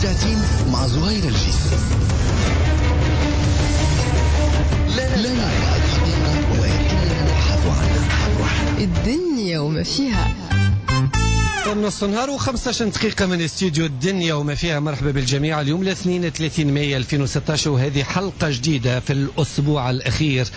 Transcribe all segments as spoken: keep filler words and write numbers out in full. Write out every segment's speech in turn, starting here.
ساعتين مع زهير الجيس. لا نرى الحقيقة ولكننا نبحث عنها. الدنيا وما فيها. نص نهار وخمسة عشر دقيقة من استديو الدنيا وما فيها. مرحبا بالجميع. اليوم الاثنين ثلاثين مايو ألفين وستة عشر، وهذه حلقة جديدة في الأسبوع الأخير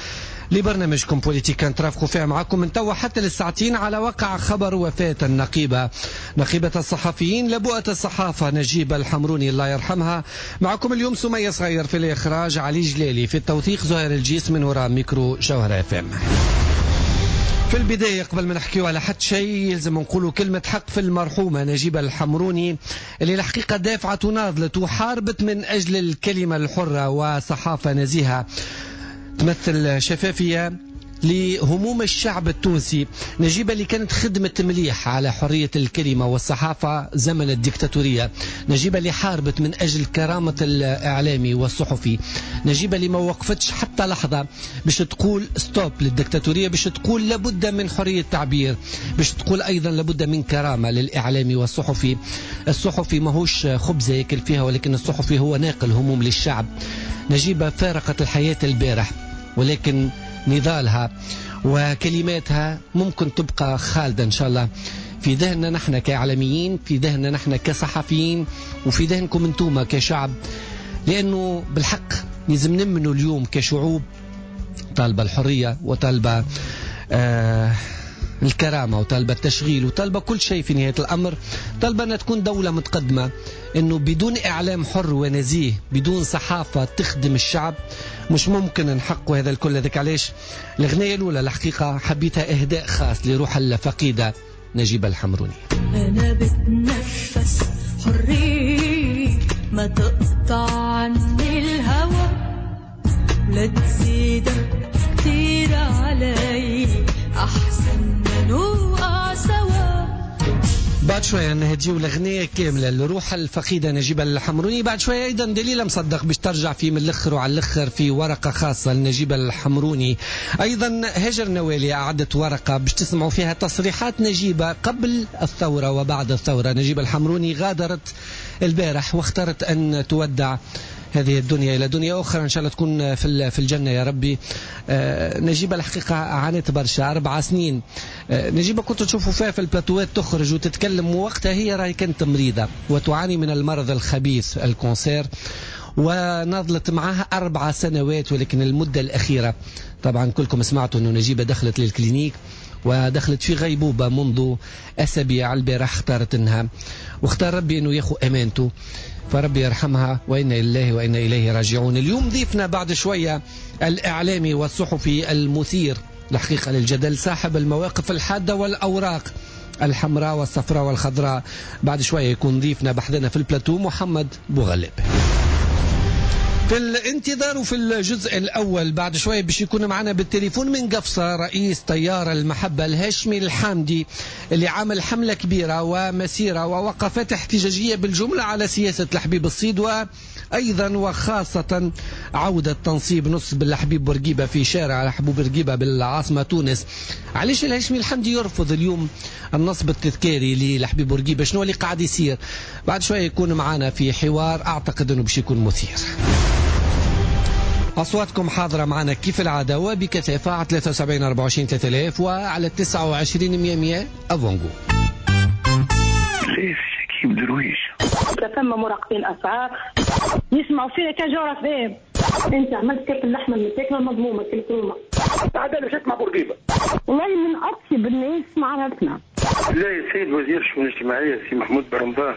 لبرنامجكم بوليتيكا، نترافقوا فيها معكم من توا حتى للساعتين على وقع خبر وفاة النقيبة، نقيبة الصحفيين، لبؤة الصحافة نجيبة الحمروني، الله يرحمها. معكم اليوم سمية صغير في الإخراج، علي جلالي في التوثيق، زهير الجيس من وراء ميكرو جوهرة اف ام. في البداية، قبل ما نحكيو على حتى شيء، يلزم نقولوا كلمة حق في المرحومة نجيبة الحمروني، اللي الحقيقة دافعت وناضلت وحاربت من أجل الكلمة الحرة وصحافة نزيهة تمثل شفافية لهموم الشعب التونسي. نجيبة اللي كانت خدمت مليح على حرية الكلمة والصحافة زمن الديكتاتورية. نجيبة اللي حاربت من أجل كرامة الإعلامي والصحفي. نجيبة اللي ما وقفتش حتى لحظة باش تقول stop للديكتاتورية، باش تقول لابد من حرية التعبير، باش تقول أيضا لابد من كرامة للإعلامي والصحفي. الصحفي ماهوش خبزة ياكل فيها، ولكن الصحفي هو ناقل هموم للشعب. نجيبة فارقت الحياة البارح، ولكن نضالها وكلماتها ممكن تبقى خالدة إن شاء الله في ذهننا نحن كإعلاميين، في ذهننا نحن كصحفيين، وفي ذهنكم انتوما كشعب، لأنه بالحق لازم نمنوا اليوم كشعوب طالبة الحرية وطالبة آه الكرامة وطالبة التشغيل وطالبة كل شيء. في نهاية الأمر طالبة أن تكون دولة متقدمة، أنه بدون إعلام حر ونزيه، بدون صحافة تخدم الشعب، مش ممكن نحقق هذا الكل. هذاك علاش الأغنية الأولى الحقيقة حبيتها إهداء خاص لروح الفقيدة نجيبة الحمروني. أنا بتنفس حرية، ما تقطع عني الهوى، لا تزيد كتير علي، أحسن ما نوقع سوا. بعد شوية نهديو الأغنية كاملة لروح الفقيدة نجيبة الحمروني. بعد شوية أيضا دليلة مصدق باش ترجع في من الأخر وعلى الأخر في ورقة خاصة لنجيبة الحمروني. أيضا هاجر نوالي أعدت ورقة باش تسمعوا فيها تصريحات نجيبة قبل الثورة وبعد الثورة. نجيبة الحمروني غادرت البارح واختارت أن تودع هذه الدنيا إلى دنيا أخرى، إن شاء الله تكون في في الجنة يا ربي. آه، نجيبة الحقيقة عانت برشا، أربع سنين. آه، نجيبة كنت تشوفوا فيها في البلاتوات تخرج وتتكلم، وقتها هي راهي كانت مريضة وتعاني من المرض الخبيث ال cancer، وناضلت معها أربع سنوات. ولكن المدة الأخيرة طبعا كلكم سمعتوا أنه نجيبة دخلت لل clinique ودخلت في غيبوبة منذ أسابيع. البارح اختارت أنها واختار ربي أنه ياخذ أمانته، فربي يرحمها وإنا لله وإنا إليه راجعون. اليوم ضيفنا بعد شوية الإعلامي والصحفي المثير الحقيقة للجدل، صاحب المواقف الحادة والأوراق الحمراء والصفراء والخضراء. بعد شوية يكون ضيفنا بحذنا في البلاتو محمد بوغلب. في الانتظار وفي الجزء الأول بعد شوية باش يكون معنا بالتليفون من قفصة رئيس تيار المحبة الهاشمي الحامدي، اللي عمل حملة كبيرة ومسيرة ووقفات احتجاجية بالجملة على سياسة الحبيب الصيد، وأيضا وخاصة عودة تنصيب نصب الحبيب بورقيبة في شارع الحبيب بورقيبة بالعاصمة تونس. علاش الهاشمي الحامدي يرفض اليوم النصب التذكاري للحبيب بورقيبة؟ شنو اللي قاعد يصير؟ بعد شوية يكون معنا في حوار أعتقد أنه باش يكون مثير. أصواتكم حاضرة معنا كيف العادة وبكثافة على ثلاثة وسبعين أربعة وعشرين ثلاثة آلاف وعلى تسعة وعشرين مية مية أفونغو. ليش شكيب درويش؟ ثم مراقبين اسعار يسمعوا فينا كان جوهرة اف ام. انت عملت كيف اللحمة المتاكله المضمومه كل. بعد مشيت مع بورقيبه. والله من اطيب الناس ما عرفنا. لا يا سيد وزير الشؤون الاجتماعية سي محمود برمضان.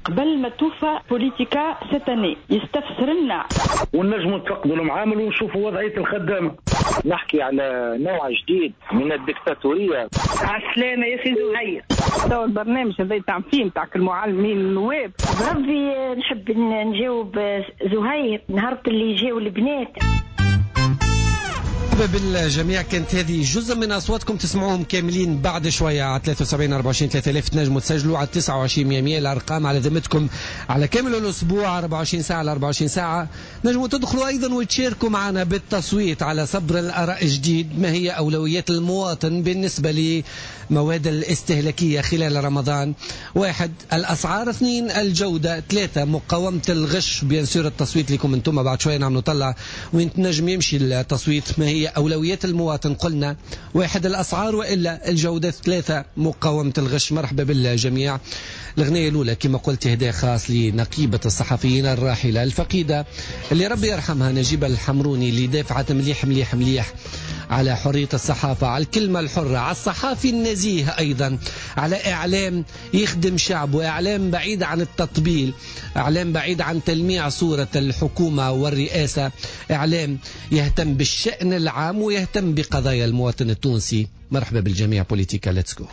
قبل ما توفى بوليتيكا cette année يستفسر لنا. ونجموا نتفقدوا المعامل ونشوفوا وضعية الخدامه. نحكي على نوع جديد من الدكتاتوريه. عسلامة يا سي زهير. تو البرنامج هذا تاع فيه نتاع المعلمين النواب. بربي نحب نجاوب زهير نهار اللي جاو البنات. مرحبا بالجميع. كانت هذه جزء من أصواتكم تسمعوهم كاملين بعد شوية على ثلاثة وسبعين أربعة وعشرين ثلاثة آلاف. تنجموا تسجلوا على تسعة وعشرين مية مية. الأرقام على ذمتكم على كامل الأسبوع أربعة وعشرين ساعة على أربعة وعشرين ساعة. نجموا تدخلوا أيضا وتشاركوا معنا بالتصويت على صبر الآراء الجديد، ما هي أولويات المواطن بالنسبة لمواد الاستهلاكية خلال رمضان؟ واحد الأسعار، اثنين الجودة، ثلاثة مقاومة الغش. bien sûr التصويت لكم انتم بعد شوية نعملوا طلع وين تنجم يمشي التصويت. ما هي أولويات المواطن؟ قلنا واحد الأسعار وإلا الجودة، ثلاثة مقاومة الغش. مرحبا بالجميع. الأغنية الأولى كما قلت هداء خاص لنقيبة الصحفيين الراحلة الفقيدة اللي ربي يرحمها نجيبة الحمروني، اللي دافعت مليح مليح مليح على حرية الصحافة، على الكلمة الحرة، على الصحافي النزيه، أيضا على إعلام يخدم شعب، وإعلام بعيد عن التطبيل، إعلام بعيد عن تلميع صورة الحكومة والرئاسة، إعلام يهتم بالشأن العام ويهتم بقضايا المواطن التونسي. مرحبا بالجميع. بوليتيكا let's go.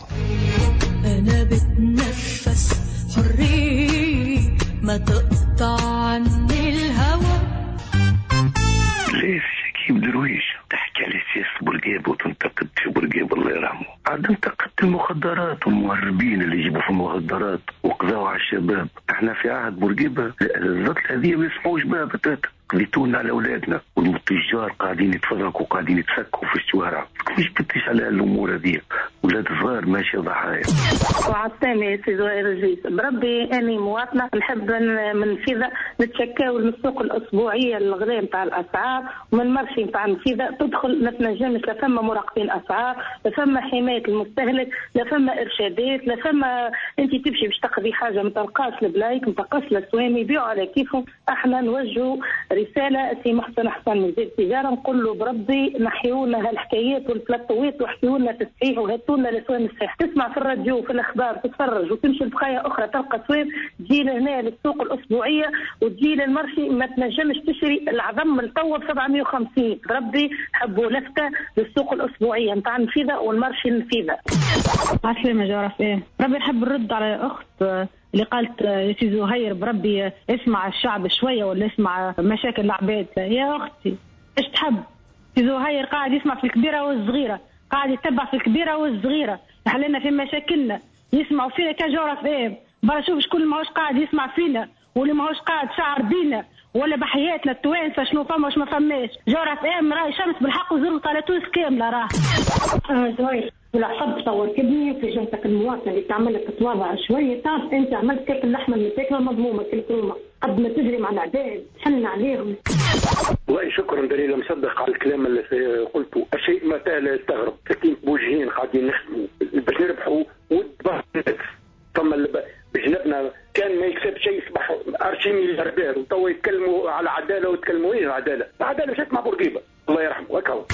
أنا بتنفس حرية ما تقطع عني الهوى. ليش شكيب درويش تحكي على سياسة بورقيبة وتنتقد في بورقيبة الله يرحمه؟ عاد انتقدت المخدرات والمهربين اللي يجيبوا في المخدرات وقضاوا على الشباب. احنا في عهد بورقيبة الزطل هذه ما يسمعوش بها بتاتا. قضيتونا على اولادنا والتجار قاعدين يتفرقوا وقاعدين يتسكوا في الشوارع. مش بتش على الامور هذه، ولاد صغار ماشي ضحايا. وعطاني سي زهير الجيس بربي اني مواطنه نحب من فيذا نتشكاو من السوق الاسبوعية الغلاء نتاع الاسعار ومن ال marché نتاع النفيذه تدخل ما تنجمش، لا فما مراقبين اسعار، لا فما حماية المستهلك، لا فما ارشادات، لا فما انت تمشي باش تقضي حاجة ما تلقاش البلايك، ما تلقاش الاسوام، يبيعوا على كيفهم. احنا نوجهوا رسالة سي محسن حسن وزير التجارة نقول له بربي نحيونا هالحكايات والبلاطوات وحكيوا لنا تصحيح وهاتوا لنا الاسوام الصحيح. تسمع في الراديو في الاخبار تتفرج وتمشي لبقايا اخرى تلقى اسوام، تجي لهنا للسوق الاسبوعية وتجي لل marché ما تنجمش تشري العظم التو ب سبعمية وخمسين. بربي حبوا لفته للسوق الاسبوعية نتاع النفيذه وال marché النفيذه. عسلامة جوهرة اف بربي نحب نرد على اخت اللي قالت يا سي زهير بربي اسمع الشعب شوية ولا اسمع مشاكل العباد. يا اختي ايش تحب؟ سي زهير قاعد يسمع في الكبيرة والصغيرة، قاعد يتبع في الكبيرة والصغيرة، يحللنا في مشاكلنا، يسمعوا فينا كجوهرة اف. برا شوف شكون اللي ماهوش قاعد يسمع فينا واللي ماهوش قاعد شعر بينا ولا بحياتنا التوانسة شنو فما واش ما فماش. جوهرة اف ام راهي شمس بالحق وزرت على تونس كاملة. راه زهير والعصب تصور كبني في جهتك المواطنة اللي تعمل لك تتواضع شوية. تعرف انت عملت كيف اللحمة المتاكله مضمومة كل كرومه قد ما تجري مع العباد حن عليهم. والله شكرا دليل مصدق على الكلام اللي قلته. الشيء ما لا يستغرب، ساكنين بوجهين قاعدين نخدموا باش نربحوا ود بعض الناس. ثم بجنبنا كان ما يكسب شيء يصبح archi milliardaire، وتوا يتكلموا على عدالة ويتكلموا وين العدالة؟ العدالة مشات مع بورقيبة الله يرحمه وكهو.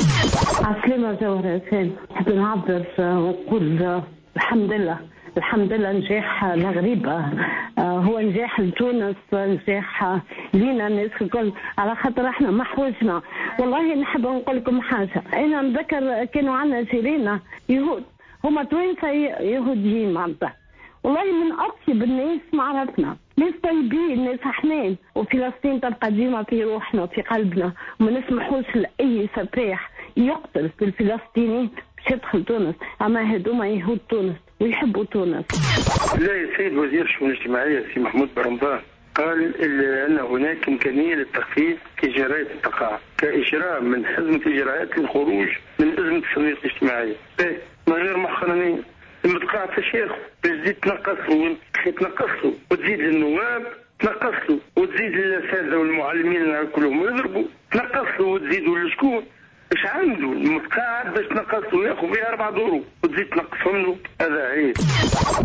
عسلامة جوهرة إنسان، نحب نعبر ونقول الحمد لله الحمد لله نجاح الغريبة هو نجاح لتونس، نجاح لينا الناس الكل، على خاطر احنا ما حوجنا. والله نحب نقول لكم حاجة، أنا نذكر كانوا عندنا جيراننا يهود، هما توانسة يهوديين معناتها، والله من أطيب الناس ما عرفنا، ناس طيبين، ناس حنان، وفلسطين تبقى ديما في روحنا وفي قلبنا، وما نسمحوش لأي سفاح يقتل في الفلسطينيين باش يدخل تونس، أما هذوما يهود تونس ويحبوا تونس. لا يا سيد وزير الشؤون الاجتماعية سي محمود برمضان قال أن هناك إمكانية للتخفيف في إجراءات التقاعد كإجراء من حزمة إجراءات للخروج من أزمة الصناديق الاجتماعية. من غير محرمين المتقاعد فاش ياخذ باش تزيد تنقص له تنقص له وتزيد للنواب تنقص له وتزيد للاساتذه والمعلمين كلهم يضربوا تنقص له وتزيدوا لشكون؟ اش عنده المتقاعد باش تنقص له ياخذ فيها اربع دورو وتزيد تنقصهم له؟ هذا عيب.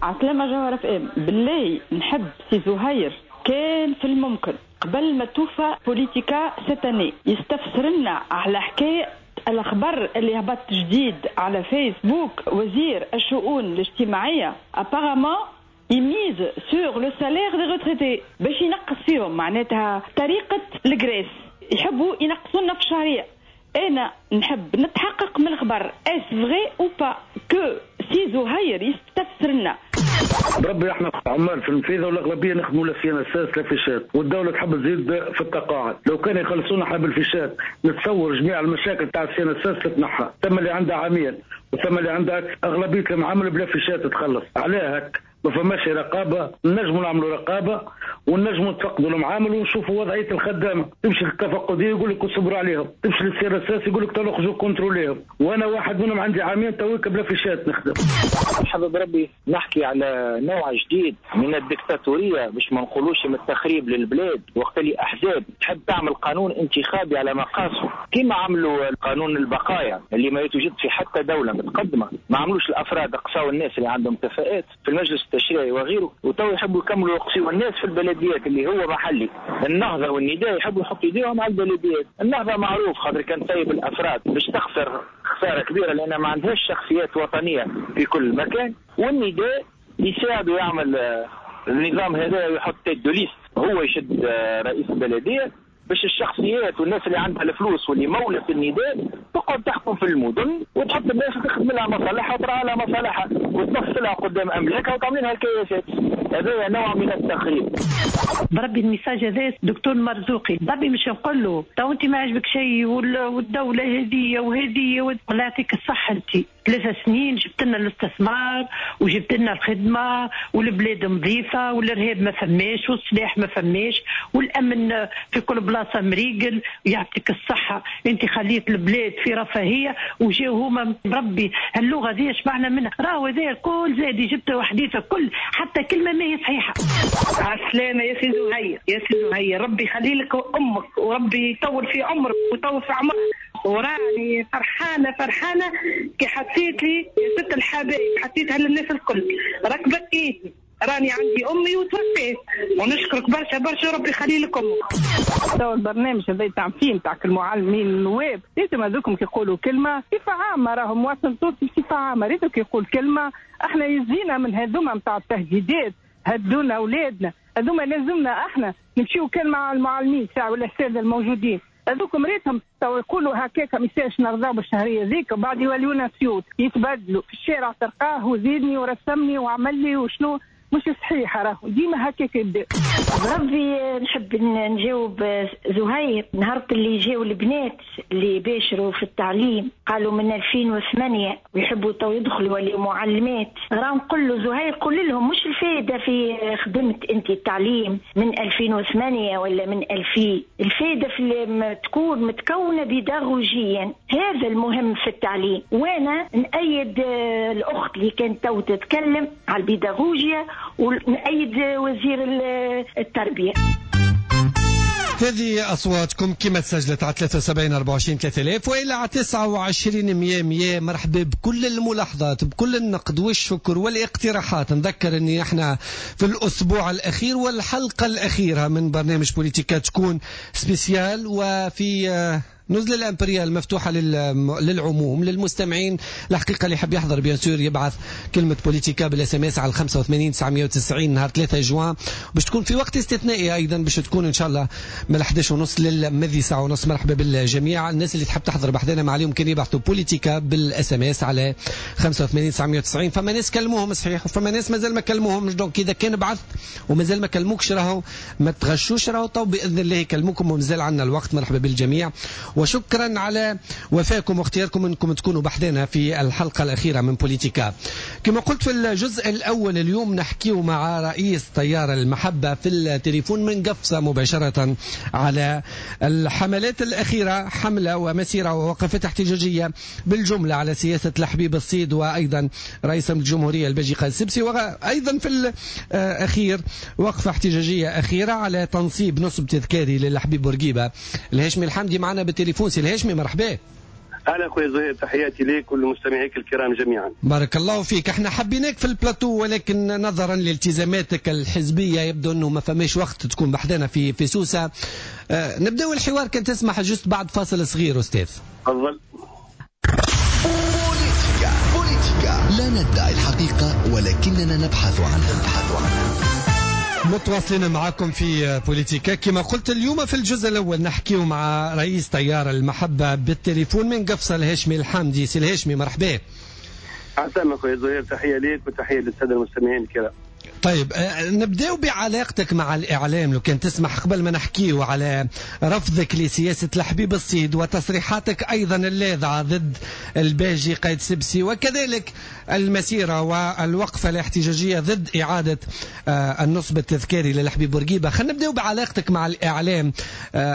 عسلامة جوهرة اف ام، بالله نحب سي زهير كان في الممكن قبل ما توفى بوليتيكا cette année يستفسر لنا على حكاية الأخبار اللي هبط جديد على فيسبوك. وزير الشؤون الاجتماعية apparemment il mise sur le salaire des retraités باش ينقص فيهم، معناتها طريقة ال Grèce يحبوا ينقصونا في الشهرية. أنا نحب نتحقق من الخبر est-ce vrai ou pas que سي زهير يستفسر لنا. بربي احنا عمال في النفيذه والاغلبيه نخدموا لا CNSS لا فيشات، والدولة تحب تزيد في التقاعد، لو كان يخلصونا احنا بالفيشات نتصور جميع المشاكل تاع ال CNSS تتنحى، ثم اللي عندها عامين وثم اللي عندها اغلبية المعامل بلا فيشات تخلص، علاه هك ما فماش رقابه، نجموا نعملوا رقابه ونجموا نتفقدوا المعامل ونشوفوا وضعية الخدامة، تمشي للتفقديه يقول لك اصبروا عليهم، تمشي لل CNSS يقول لك تخرجوا contrôler هم، وانا واحد منهم عندي عامين تويك بلا فيشات نخدم. حابب ربي نحكي على نوع جديد من الدكتاتورية باش ما نقولوش من التخريب للبلاد، وقت اللي احزاب تحب تعمل قانون انتخابي على مقاسه كما عملوا قانون البقايا اللي ما يتوجد في حتى دولة متقدمة، ما عملوش الافراد اقصاو الناس اللي عندهم كفاءات في المجلس التشريعي وغيره، وتو يحبوا يكملوا يقصيوا الناس في البلديات اللي هو محلي. النهضة والنداء يحبوا يحطوا ايديهم على البلديات، النهضة معروف خاطر كان طيب الافراد باش تخسر خسارة كبيرة لان ما عندهاش شخصيات وطنية في كل مكان، والنداء يساعده يعمل النظام هذا ويحط tête de liste هو يشد رئيس البلدية باش الشخصيات والناس اللي عندها الفلوس واللي مولت النداء تقعد تحكم في المدن وتحط الناس تخدم لها مصالحها وترعى لها مصالحها وتنفذ لها قدام املاكها وتعمل لها الكياسات. هذا نوع من التخريب. بربي ال message هذا دكتور مرزوقي بربي مش نقول له تو انت ما عجبك شيء والدولة هذه وهذه والله يعطيك الصحة، انت ثلاث سنين جبت لنا الاستثمار وجبت لنا الخدمة والبلاد نظيفة والارهاب ما فماش والسلاح ما فماش والامن في كل بلاصة مريقل، يعطيك الصحة انت خليت البلاد في رفاهية وجاو هما بربي هاللغه ذي شبعنا منها، راهو هذا الكل زاد جبت وحديثه كل حتى كلمة ما هي صحيحه. عسلامة يا سي زهير، يا سي زهير ربي يخلي لك امك وربي يطول في عمرك ويطول في عمرك، وراني فرحانة فرحانة كي حطيت لي يا ست الحبايب حطيتها للناس الكل، ركبت ايدي راني عندي امي وتوفيت، ونشكرك برشا برشا ربي يخلي لك امك. تو البرنامج هذا تاع فيه تاع المعلمين النواب لازم هذوكم كيقولوا كلمة بصفة عامة، راهم مواطن تونسي بصفة عامة ريتو كيقول كلمة احنا يزينا من هذوما نتاع التهديدات، هدونا اولادنا هذوما لازمنا احنا نمشيو كان مع المعلمين تاع ولا الاساتذة الموجودين هذوكم ريتهم تو يقولوا هكاك ما يسالش نرضاو بالشهريه ذيك وبعد يوليونا سيوت يتبدلوا في الشارع تلقاه وزيدني ورسمني وعمل لي وشنو مش صحيح، راهو ديما هكاك يبدا. بربي نحب نجاوب زهير، نهار اللي جاو البنات اللي باشروا في التعليم قالوا من ألفين وثمانية ويحبوا تو يدخلوا وليوا معلمات، راه نقول له زهير قول لهم مش الفائدة في خدمة انت التعليم من ألفين وثمانية ولا من ألفين، الفائدة في تكون متكونه بيداغوجيا، هذا المهم في التعليم. وانا نأيد الاخت اللي كانت تو تتكلم على البيداغوجيا ونأيد وزير التربية. هذه أصواتكم كما تسجلت على ثلاثة وسبعين أربعة وعشرين ثلاثة آلاف وإلى على تسعة وعشرين مية مية. مرحبا بكل الملاحظات بكل النقد والشكر والاقتراحات. نذكر أني احنا في الأسبوع الأخير والحلقة الأخيرة من برنامج بوليتيكا تكون spéciale، وفي نزل الامبريال مفتوحة للعموم للمستمعين. الحقيقة اللي حاب يحضر bien sûr يبعث كلمة بوليتيكا بال SMS على خمسة وثمانين تسعمية وتسعين نهار ثلاثة جوان، باش تكون في وقت استثنائي ايضا، باش تكون ان شاء الله من إحدى عشرة ونص للمذي ساعة ونص. مرحبا بالجميع الناس اللي تحب تحضر بحذانا، ما عليهم كان يبعثوا بوليتيكا بال SMS على خمسة وثمانين تسعمية وتسعين. فما ناس كلموهم صحيح وفما ناس مازال ما كلموهمش، donc اذا كان بعثت ومازال ما كلموكش راهو ما تغشوش، راهو تو باذن الله يكلموكم ومازال عندنا الوقت. مرحبا بالجميع وشكرا على وفاكم واختياركم انكم تكونوا بحذانا في الحلقة الأخيرة من بوليتيكا. كما قلت في الجزء الأول اليوم نحكيه مع رئيس تيار المحبة في التليفون من قفصة مباشرة على الحملات الأخيرة، حملة ومسيرة ووقفات احتجاجية بالجملة على سياسة الحبيب الصيد وأيضا رئيس الجمهورية الباجي قائد السبسي، وأيضا في الأخير وقفة احتجاجية أخيرة على تنصيب نصب تذكاري للحبيب بورقيبة. الهاشمي الحمدي معنا بالتليفون. سي الهاشمي مرحبا. اهلا خويا زهير، تحياتي ليك ولمستمعيك الكرام جميعا. بارك الله فيك. احنا حبيناك في البلاتو ولكن نظرا لالتزاماتك الحزبية يبدو انه ما فماش وقت تكون بحذانا في في سوسة. أه نبداو الحوار كان تسمح juste بعد فاصل صغير استاذ. تفضل. بوليتيكا بوليتيكا لا ندعي الحقيقة ولكننا نبحث عنها. نبحث عنها. متواصلين معكم في بوليتيكا. كما قلت اليوم في الجزء الأول نحكيه مع رئيس تيار المحبة بالتليفون من قفصة الهاشمي الحمدي. سي الهاشمي مرحبا. عسلامة خويا زهير، تحية ليك وتحية للسادة المستمعين الكرام. طيب نبداو بعلاقتك مع الإعلام لو كان تسمح، قبل ما نحكيو على رفضك لسياسة الحبيب الصيد وتصريحاتك أيضا اللاذعة ضد الباجي قايد سبسي، وكذلك المسيرة والوقفة الاحتجاجية ضد إعادة النصب التذكاري للحبيب بورقيبة. خلينا نبداو بعلاقتك مع الإعلام،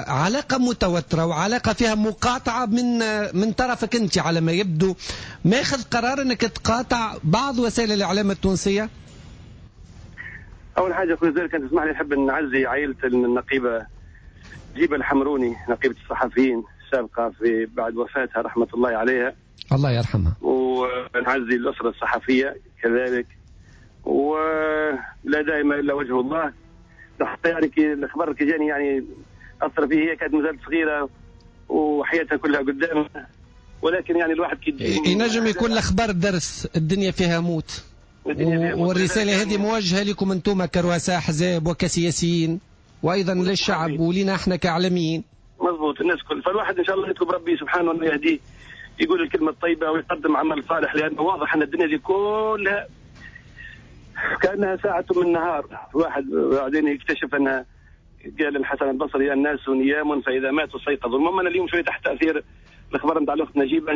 علاقة متوترة وعلاقة فيها مقاطعة من من طرفك أنت على ما يبدو، ماخذ قرار أنك تقاطع بعض وسائل الإعلام التونسية؟ أول حاجة أخوي زهير كان تسمح لي نحب نعزي عائلة النقيبة جيبة الحمروني، نقيبة الصحفيين السابقة في بعد وفاتها رحمة الله عليها. الله يرحمها. ونعزي الأسرة الصحفية كذلك، ولا دائما إلا وجه الله. حتى يعني الخبر كي جاني يعني أثر فيه، هي كانت مازالت صغيرة وحياتها كلها قدامها، ولكن يعني الواحد كي ينجم يكون الأخبار درس، الدنيا فيها موت. والرسالة هذه موجهة لكم أنتم كرؤساء أحزاب وكسياسيين، وأيضا للشعب ولنا احنا كإعلاميين. مضبوط، الناس كل، فالواحد إن شاء الله يطلب ربي سبحانه أنه يهديه، يقول الكلمة الطيبة ويقدم عمل صالح، لأنه واضح أن الدنيا دي كلها كأنها ساعة من نهار. الواحد بعدين يكتشف أنها، قال الحسن البصري الناس نيام فإذا ماتوا استيقظوا. المهم أنا اليوم شوية تحت تأثير الأخبار نتاع الأخت نجيبة.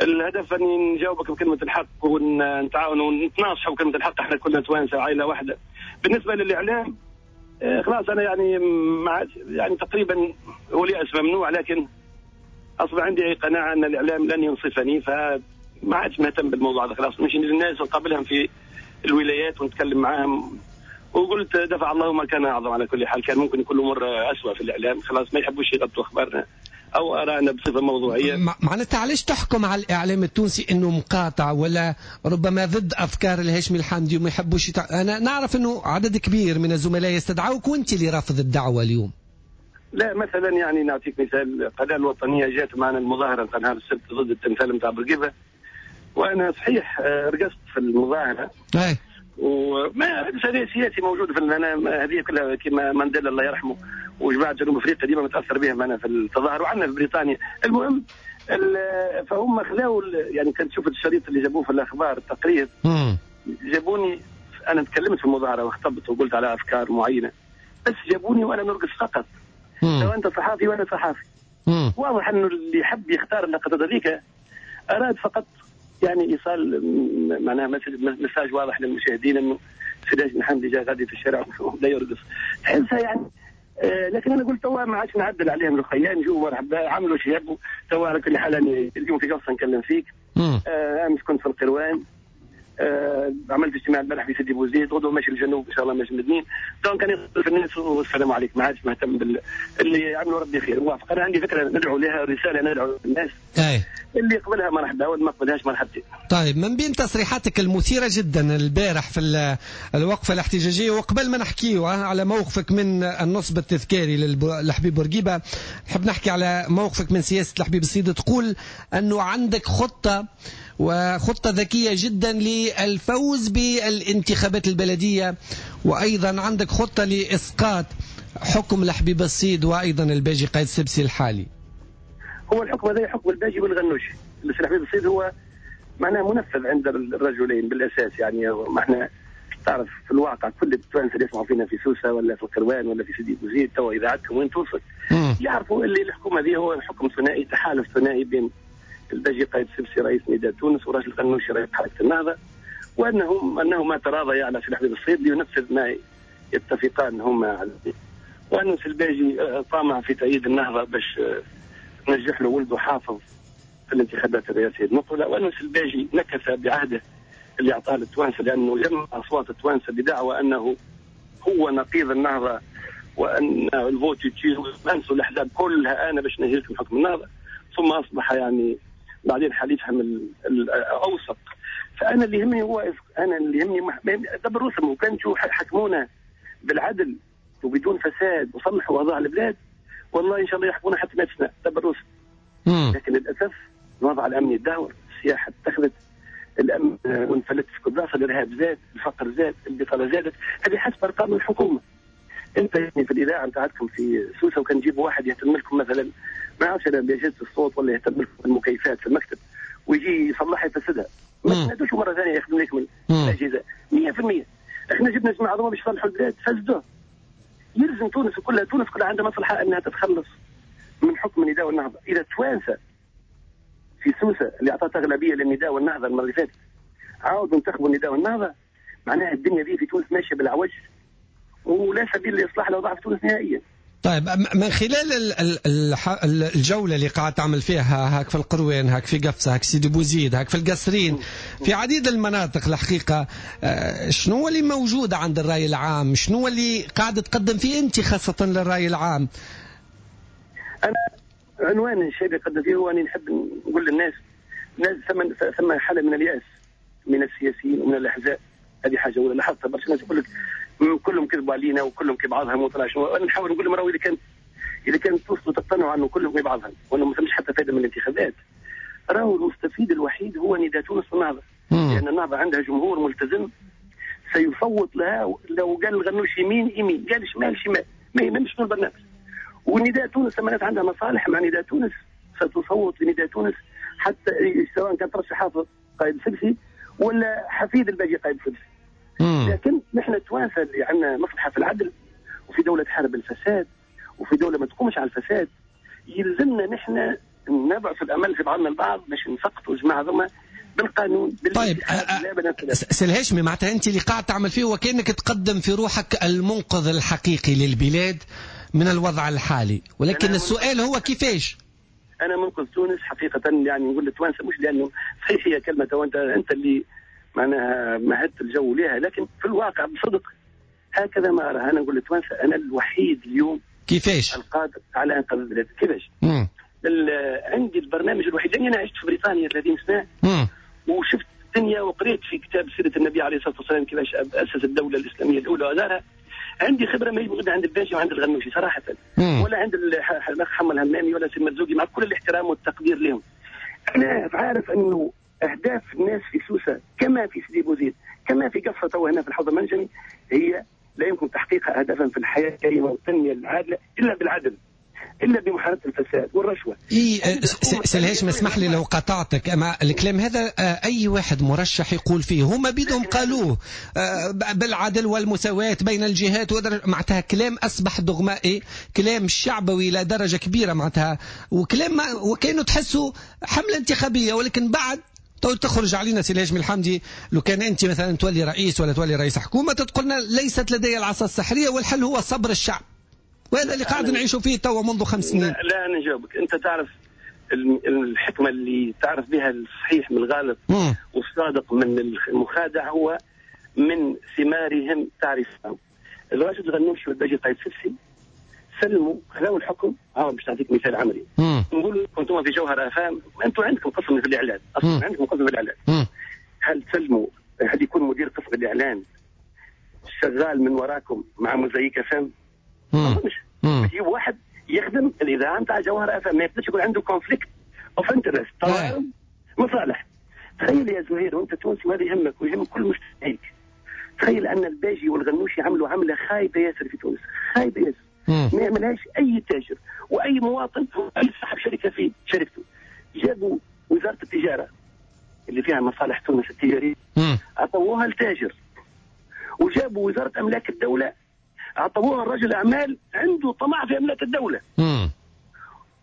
الهدف أن نجاوبك بكلمة الحق ونتعاون ونتناصحوا بكلمة الحق، احنا كلنا توانسة عائلة واحدة. بالنسبة للإعلام خلاص أنا يعني مع يعني تقريبا هو اليأس ممنوع، لكن أصبح عندي قناعة أن الإعلام لن ينصفني، فما عادش مهتم بالموضوع هذا. خلاص نمشي للناس ونقابلهم في الولايات ونتكلم معاهم، وقلت دفع الله ما كان أعظم. على كل حال كان ممكن يكون الأمور أسوأ في الإعلام، خلاص ما يحبوش يغطوا أخبارنا أو أرانا بصفة موضوعية. معناتها علاش تحكم على الإعلام التونسي إنه مقاطع ولا ربما ضد أفكار الهاشمي الحامدي وما يحبوش يتع... أنا نعرف إنه عدد كبير من الزملاء يستدعوك وأنت اللي رافض الدعوة اليوم. لا مثلا يعني نعطيك مثال، القناة الوطنية جات معنا المظاهرة نتاع نهار السبت ضد التمثال نتاع بورقيبة، وأنا صحيح رقصت في المظاهرة. أي. وما هذا سياسي موجود في أنا هذه كلها كما مانديلا الله يرحمه وجماعة جنوب افريقيا ديما متاثر بهم انا في التظاهر، وعندنا في بريطانيا. المهم فهم خلاو يعني كنت شفت الشريط اللي جابوه في الاخبار التقرير، جابوني انا تكلمت في المظاهرة وخطبت وقلت على افكار معينة، بس جابوني وانا نرقص فقط. لو انت صحافي وانا صحافي، واضح انه اللي يحب يختار اللقطة هذيك اراد فقط يعني ايصال معناها message واضح للمشاهدين انه سي الهاشمي الحامدي جا غادي في الشارع وبدا يرقص، تحسها يعني. آه لكن انا قلت توا ما عادش نعدل عليهم الخيان، جو مرحبا عملوا شي يحبوا. توا على كل حال انا اليوم في قفصه نكلم فيك. آه امس كنت في القروان، آه عملت اجتماع البارح في سيدي بوزيد، غدوه ماشي للجنوب ان شاء الله ماشي مدنين. donc انا في الناس والسلام عليكم، ما عادش مهتم بال اللي عملوا ربي خير. موافق، انا عندي فكرة ندعو لها، رسالة ندعو للناس. أي. اللي يقبلها مرحبا واللي ما قبلهاش مرحبتين. طيب من بين تصريحاتك المثيرة جدا البارح في الوقفة الاحتجاجية، وقبل ما نحكيو على موقفك من النصب التذكاري للحبيب بورقيبة، نحب نحكي على موقفك من سياسة الحبيب الصيد. تقول أنه عندك خطة وخطة ذكية جدا للفوز بالانتخابات البلدية، وأيضا عندك خطة لإسقاط حكم الحبيب الصيد وأيضا الباجي قايد سبسي الحالي. هو الحكم هذا حكم الباجي والغنوشي. الحبيب الصيد هو معناه منفذ عند الرجلين بالأساس، يعني ما احنا تعرف في الواقع كل التوانسة اللي يسمعوا فينا في سوسة ولا في القروان ولا في سيدي بوزيد توا اذاعتكم وين توصل يعرفوا اللي الحكومة هذه هو حكم ثنائي، تحالف ثنائي بين الباجي قايد سبسي رئيس نداء تونس وراجل غنوشي رئيس حركة النهضة، وانهم انهما تراضيا على سي الحبيب الصيد لينفذ ما يتفقان هما عليه، وأن سي الباجي طامع في تأييد النهضة باش نجح له ولده حافظ في الانتخابات الرئاسية المقبلة، وأن سي الباجي نكث بعهده اللي اعطاه للتوانسه لانه جمع اصوات التوانسة بدعوى انه هو نقيض النهضة وان ال vote utile انسوا الاحزاب كلها انا باش نهي لكم حكم النهضة، ثم اصبح يعني بعدين حليفهم الاوسط. فانا اللي يهمني هو انا اللي يهمني دبر رسم، وكان شو حكمونا بالعدل وبدون فساد وصلحوا اوضاع البلاد والله ان شاء الله يحكمونا حتى مئة سنة دبر رسم. لكن للاسف الوضع الامني تدهور، السياحة اتخذت، الامن وانفلت في كل بلاصة، الارهاب زاد، الفقر زاد، البطالة زادت، هذه حسب ارقام الحكومة. انت يعني في الاذاعة نتاعتكم في سوسة وكان تجيبوا واحد يهتم لكم مثلا ما نعرفش انا باجهزه الصوت ولا يهتم لكم بالمكيفات في المكتب ويجي يصلحها يفسدها. ما تنادوش مرة ثانية يخدم لكم الاجهزة مية في المية. احنا جبنا جماعة هذوما باش يصلحوا البلاد فسدوه. يلزم تونس كلها، تونس كلها عندها مصلحة انها تتخلص من حكم النداء والنهضه. اذا التوانسة في سوسة اللي اعطت اغلبية للنداء والنهضه المرة اللي فاتت عاودوا انتخبوا النداء والنهضه، معناها الدنيا دي في تونس ماشية بالعوج ولا سبيل لاصلاح الاوضاع في تونس نهائيا. طيب من خلال الجولة اللي قاعد تعمل فيها هاك في القروان، هاك في قفصة، هاك سيدي بوزيد، هاك في القصرين، في عديد المناطق الحقيقة، شنو اللي موجود عند الرأي العام؟ شنو اللي قاعد تقدم فيه أنت خاصة للرأي العام؟ أنا عنوان الشيء اللي قدم فيه هو أني نحب نقول للناس، ثم ثم حالة من اليأس من السياسيين ومن الأحزاب. هذه حاجة أولى لاحظتها برشا ناس يقول لك كلهم كذبوا علينا وكلهم كبعضهم وطلع شنو. انا نحاول نقول لهم راهو اذا كان اذا كان توصلوا تقتنعوا انه كلهم كبعضهم وانه ما ثمش حتى فائدة من الانتخابات، راهو المستفيد الوحيد هو نداء تونس والنهضه، لان النهضة عندها جمهور ملتزم سيصوت لها. لو قال الغنوش يمين يمين، قال شمال شمال، ما يهمش شنو البرنامج. ونداء تونس لما الناس عندها مصالح مع نداء تونس ستصوت لنداء تونس، حتى سواء كان ترشح حافظ قائد سبسي ولا حفيد الباجي قائد سبسي. لكن نحن التوانسة اللي عندنا مصلحة في العدل وفي دولة تحارب الفساد وفي دولة ما تقومش على الفساد، يلزمنا نحن نبعث الامل في بعضنا البعض باش نسقطوا الجماعة هذوما بالقانون. طيب سي الهاشمي، معناتها انت اللي قاعد تعمل فيه وكانك تقدم في روحك المنقذ الحقيقي للبلاد من الوضع الحالي، ولكن السؤال هو كيفاش؟ انا منقذ تونس حقيقة، يعني نقول للتوانسه مش لانه صحيح هي كلمة وانت انت اللي معناها مهدت الجو لها، لكن في الواقع بصدق هكذا ما أرى. أنا نقول للتوانسة أنا الوحيد اليوم كيفاش القادر على إنقاذ البلاد. كيفاش؟ عندي البرنامج الوحيد، لأني أنا عشت في بريطانيا ثلاثين سنة. مم. وشفت الدنيا وقريت في كتاب سيرة النبي عليه الصلاة والسلام كيفاش أسس الدولة الإسلامية الأولى وأدارها. عندي خبرة ما هي موجودة عند الباجي وعند الغنوشي صراحة. مم. ولا عند الأخ حمد الهمامي ولا سي المرزوقي، مع كل الاحترام والتقدير لهم. أنا عارف أنه أهداف الناس في سوسة كما في سيدي بوزيد كما في قفصة تو هنا في الحوض المنجمي هي لا يمكن تحقيقها أهدافا في الحياة الكريمة والتنمية العادلة إلا بالعدل، إلا بمحاربة الفساد والرشوة. إيه سي الهاشمي اسمح لي لو قطعتك، أما الكلام هذا أي واحد مرشح يقول فيه، هما بيدهم قالوه بالعدل والمساواة بين الجهات، معناتها كلام أصبح دغمائي، كلام شعبوي إلى درجة كبيرة معناتها، وكلام وكانوا تحسوا حملة انتخابية. ولكن بعد تخرج علينا سي الهاشمي الحمدي، لو كان أنت مثلا تولي رئيس ولا تولي رئيس حكومة تقولنا ليست لدي العصا السحرية والحل هو صبر الشعب، وهذا اللي قاعد نعيشه فيه توا منذ خمس سنين. لا, لا أنا نجاوبك. أنت تعرف الحكمة اللي تعرف بها الصحيح من الغلط والصادق من المخادع هو من ثمارهم تعرفهم. الراشد الغنوشي والباجي قايد سبسي سلموا خلاو الحكم. ها باش نعطيك مثال عملي، نقول كنتم في جوهر افام، انتم عندكم قسم في الاعلان، اصلا عندكم قسم في الاعلان. مم. هل تسلموا، هل يكون مدير قسم الاعلان شغال من وراكم مع موزايك افام؟ ما اظنش. يجيب واحد يخدم الاذاعة نتاع جوهر افام، ما يقدرش يكون عنده conflict of interest، تضارب مصالح. تخيل يا زهير وانت تونسي وهذا يهمك ويهم كل مجتمعك، تخيل ان الباجي والغنوشي عملوا عمله خايبة ياسر في تونس، خايبة ياسر، ما يعملهاش اي تاجر واي مواطن واي صاحب شركة في شركته. جابوا وزارة التجارة اللي فيها مصالح تونس التجارية عطوها لتاجر، وجابوا وزارة املاك الدولة عطوها لرجل اعمال عنده طمع في املاك الدولة. مم.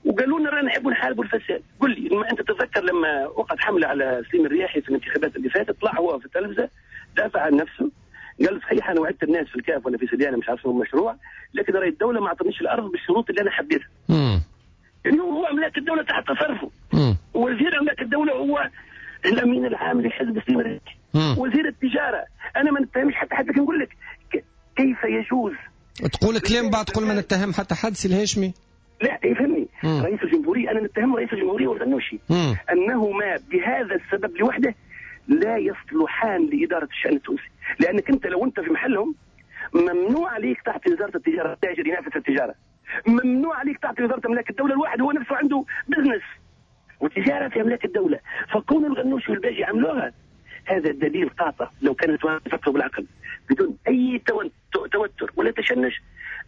وقالوا لنا رانا نحبوا نحاربوا الفساد. قل لي ما انت تتذكر لما وقعت حمله على سليم الرياحي في الانتخابات اللي فاتت، طلع هو في التلفزة دافع عن نفسه، قال صحيح انا وعدت الناس في الكاف ولا في سليانه مش عارف شنو المشروع، لكن راي الدولة ما اعطتنيش الارض بالشروط اللي انا حبيتها. يعني هو املاك الدولة تحت تصرفه. وزير املاك الدولة هو الامين العام لحزب سليم الرياحي، وزير التجارة. انا ما نتهمش حتى حد، لكن نقول لك كيف يجوز تقول كلام بعد تقول ما نتهم حتى حد سي الهاشمي؟ لا يفهمني. رئيس الجمهورية انا نتهم رئيس الجمهورية والغنوشي انهما بهذا السبب لوحده لا يصلحان لادارة الشان التونسي، لانك انت لو انت في محلهم ممنوع عليك تعطي وزارة التجارة تاجر ينافس التجارة، ممنوع عليك تعطي وزارة املاك الدولة الواحد هو نفسه عنده business وتجارة في املاك الدولة. فكون الغنوشي والباجي عملوها هذا دليل قاطع لو كانت يفكروا بالعقل بدون اي توتر ولا تشنج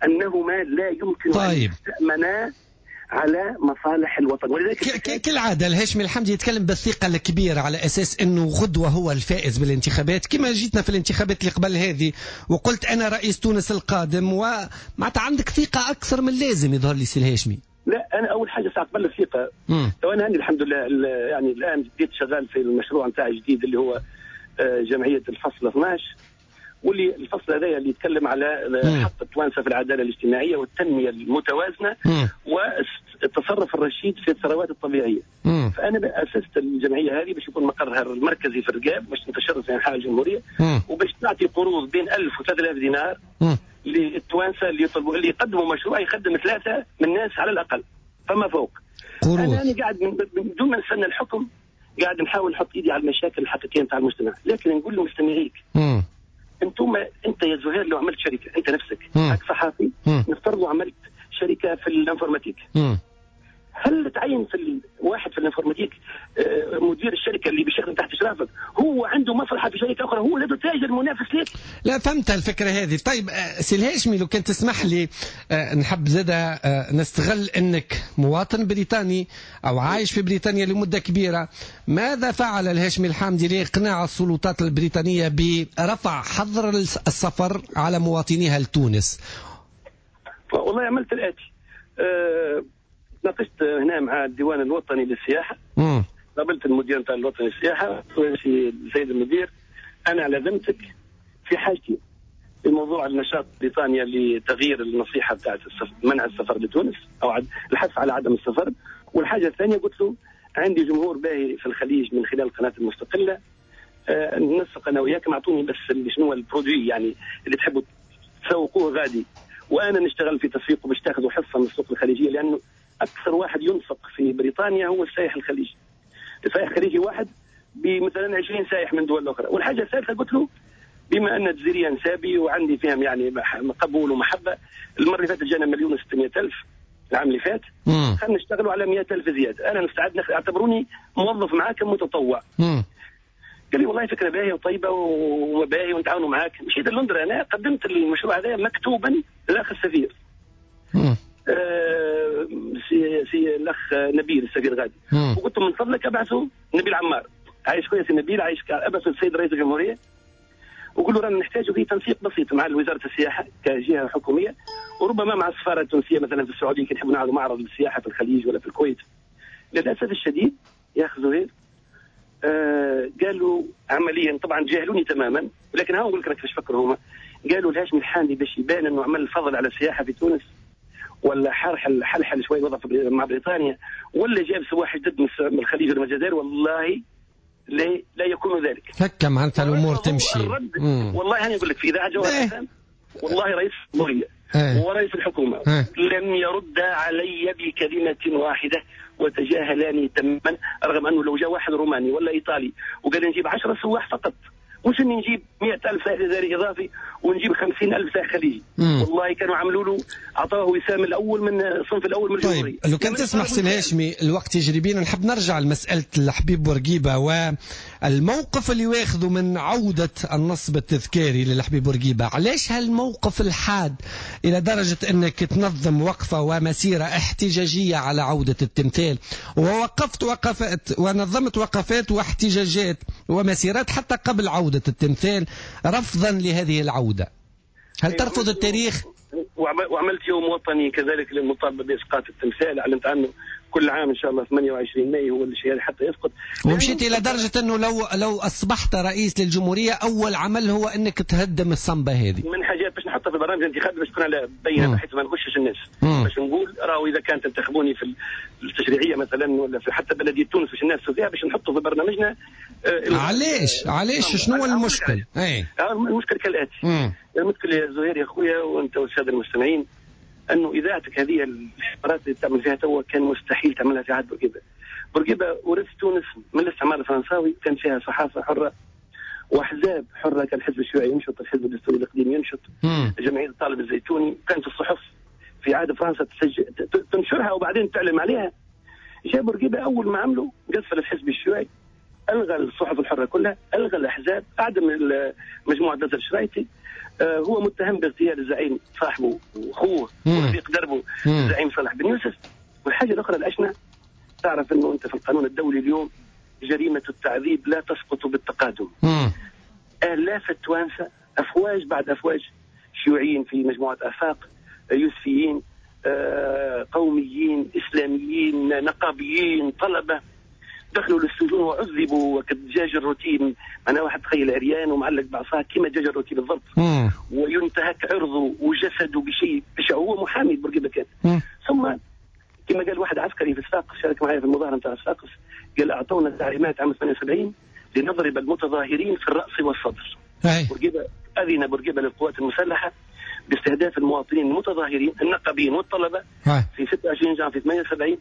انهما لا يمكن طيب. ان يستأمنا على مصالح الوطن. ولذلك كالعادة الهاشمي الحامدي يتكلم بالثقة الكبيرة على أساس أنه غدوة هو الفائز بالانتخابات، كما جيتنا في الانتخابات اللي قبل هذه وقلت أنا رئيس تونس القادم، ومعناتها عندك ثقة أكثر من اللازم يظهر لي سي الهاشمي. لا أنا أول حاجة ساعة قبل الثقة، تو أنا عندي الحمد لله يعني الآن بديت شغال في المشروع نتاعي الجديد اللي هو جمعية الفصل اثناش، واللي الفصل هذا اللي يتكلم على حق التوانسة في العدالة الاجتماعية والتنمية المتوازنه والتصرف الرشيد في الثروات الطبيعية. مم. فانا اسست الجمعية هذه باش يكون مقرها المركزي في الرقاب، باش تنتشر في انحاء الجمهورية، مم. وباش تعطي قروض بين ألف و ثلاثة آلاف دينار مم. للتوانسه اللي يطلبوا، اللي يقدموا مشروع يخدم ثلاثة من الناس على الاقل فما فوق. قروض. انا انا قاعد من دون ما نستنى الحكم قاعد نحاول نحط ايدي على المشاكل الحقيقية نتاع المجتمع، لكن نقول لمستمعيك انتم، انت يا زهير لو عملت شركة انت نفسك هاك صحافي، نفترض عملت شركة في ال informatique، هل تعين في واحد في ال informatique مدير الشركة اللي بيشتغل تحت اشرافك هو عنده مصلحة في شركة اخرى، هو لا تاجر منافس لك؟ لا، فهمت الفكرة هذه. طيب سي الهاشمي لو كان تسمح لي نحب زاده نستغل انك مواطن بريطاني او عايش في بريطانيا لمدة كبيرة، ماذا فعل الهاشمي الحامدي لاقناع السلطات البريطانية برفع حظر السفر على مواطنيها لتونس؟ والله عملت الاتي. أه ناقشت هنا مع الديوان الوطني للسياحة، قابلت المدير نتاع الوطني للسياحة، السيد المدير أنا على ذمتك في حاجتي في موضوع النشاط بريطانيا لتغيير النصيحة بتاعت منع السفر لتونس أو الحث على عدم السفر. والحاجة الثانية قلت له عندي جمهور باهي في الخليج من خلال القناة المستقلة، أه ننسق أنا وياكم، أعطوني بس شنو ال produit يعني اللي تحبوا تسوقوه غادي، وأنا نشتغل في تسويقه باش تاخذوا حصة من السوق الخليجية، لأنه أكثر واحد ينفق في بريطانيا هو السائح الخليجي. السائح الخليجي واحد بمثلا عشرين سائح من دول أخرى. والحاجة الثالثة قلت له بما أن الجزيرية نسابي وعندي فيهم يعني قبول ومحبة، المرة اللي فاتت جانا مليون وستمائة ألف العام اللي فات، خلينا نشتغلوا على مئة ألف زيادة، أنا مستعد، اعتبروني موظف معاك متطوع. مم. قال لي والله فكرة باهية وطيبة وباهية ونتعاونوا معاك. مشيت لندن أنا قدمت المشروع هذا مكتوبا للأخ السفير. مم. آه سي, سي الاخ نبيل السفير غادي، وقلت له من فضلك ابعثوا نبيل عمار، عايش خويا سي نبيل، عايش، ابعثوا السيد رئيس الجمهورية وقول له رانا نحتاجوا في تنسيق بسيط مع وزارة السياحة كجهه حكومية، وربما مع السفارة التونسية مثلا في السعودية كي نحبوا نعرضوا معرض للسياحة في الخليج ولا في الكويت. للاسف الشديد يا اخ زهير آه قالوا عمليا، طبعا جاهلوني تماما، ولكن ها نقول لك كيفاش فكروا هما. قالوا الهاشمي الحامدي باش يبان انه عمل فضل على السياحة في تونس، ولا حرحل حلحل شوي وضع مع بريطانيا، ولا جاب سواح جدد من الخليج ولا من الجزائر، والله لا لا يكون ذلك. هكا معناتها الامور تمشي. والله انا اقول لك في اذاعة جوهر، والله رئيس الجمهورية ورئيس الحكومة لم يرد علي بكلمه واحدة وتجاهلاني تماما، رغم انه لو جاء واحد روماني ولا ايطالي وقال نجيب عشرة سواح فقط، مش اني نجيب مئة ألف سائح جزائري اضافي ونجيب خمسين ألف سائح خليجي. مم. والله كانوا عملوا له، اعطاه وسام الاول من الصنف الاول من الجمهورية. طيب لو كان تسمح سي الهاشمي الوقت يجري بينا، نحب نرجع لمسالة الحبيب بورقيبة والموقف اللي واخذه من عوده النصب التذكاري للحبيب بورقيبة. علاش هالموقف الحاد الى درجه انك تنظم وقفه ومسيره احتجاجية على عوده التمثال، ووقفت وقفات ونظمت وقفات واحتجاجات ومسيرات حتى قبل عوده التمثال رفضا لهذه العودة؟ هل ترفض التاريخ؟ وعملت يوم وطني كذلك للمطالبة بإسقاط التمثال، أعلنت عنه كل عام إن شاء الله ثمانية وعشرين ماي هو الشيء حتى يسقط. ومشيت إلى درجة أنه لو لو أصبحت رئيس للجمهورية أول عمل هو أنك تهدم الصنبة هذه. من حاجات باش نحطها في برامج الانتخاب باش تكون على بينة، بحيث ما نغشش الناس، باش نقول راهو إذا كانت تنتخبوني في التشريعية مثلا ولا في حتى بلدية تونس باش الناس فيها، باش نحطه في برنامجنا. آه علاش علاش شنو المشكل؟ اي المشكل كالآتي. مم. المشكل يا زهير يا خويا وأنت والسادة المستمعين، أنه إذاعتك هذه الحوارات اللي تعمل فيها توا كان مستحيل تعملها في عهد بورقيبة. بورقيبة ورث تونس من الاستعمار الفرنساوي، كان فيها صحافة حرة وأحزاب حرة، كان الحزب الشيوعي ينشط، الحزب الدستوري القديم ينشط، جمعية الطالب الزيتوني، كانت الصحف في عهد فرنسا تسجل تنشرها وبعدين تعلم عليها. جاء بورقيبة أول ما عملوا قفل الحزب الشيوعي، ألغى الصحف الحرة كلها، ألغى الأحزاب، أعدم مجموعة نزل الشرايطي. هو متهم باغتيال الزعيم صاحبه واخوه ورفيق دربه الزعيم صالح بن يوسف. والحاجة الاخرى الاشنع، تعرف انه انت في القانون الدولي اليوم جريمة التعذيب لا تسقط بالتقادم. مم. الاف التوانسة افواج بعد افواج، شيوعيين في مجموعة افاق، يوسفيين، آه، قوميين، اسلاميين، نقابيين، طلبه، دخلوا للسجون وعذبوا كالدجاج الروتين. معناها واحد تخيل عريان ومعلق بعصاه كما دجاج الروتي بالضبط، مم. وينتهك عرضه وجسده بشيء بشع. هو محامي بورقيبة كان. مم. ثم كما قال واحد عسكري في الصفاقس شارك معي في المظاهرة نتاع الصفاقس، قال اعطونا تعليمات عام ثمانية وسبعين لنضرب المتظاهرين في الراس والصدر. بورقيبة اذن بورقيبة للقوات المسلحة باستهداف المواطنين المتظاهرين النقابيين والطلبة هاي. في ستة وعشرين جانفي ثمانية وسبعين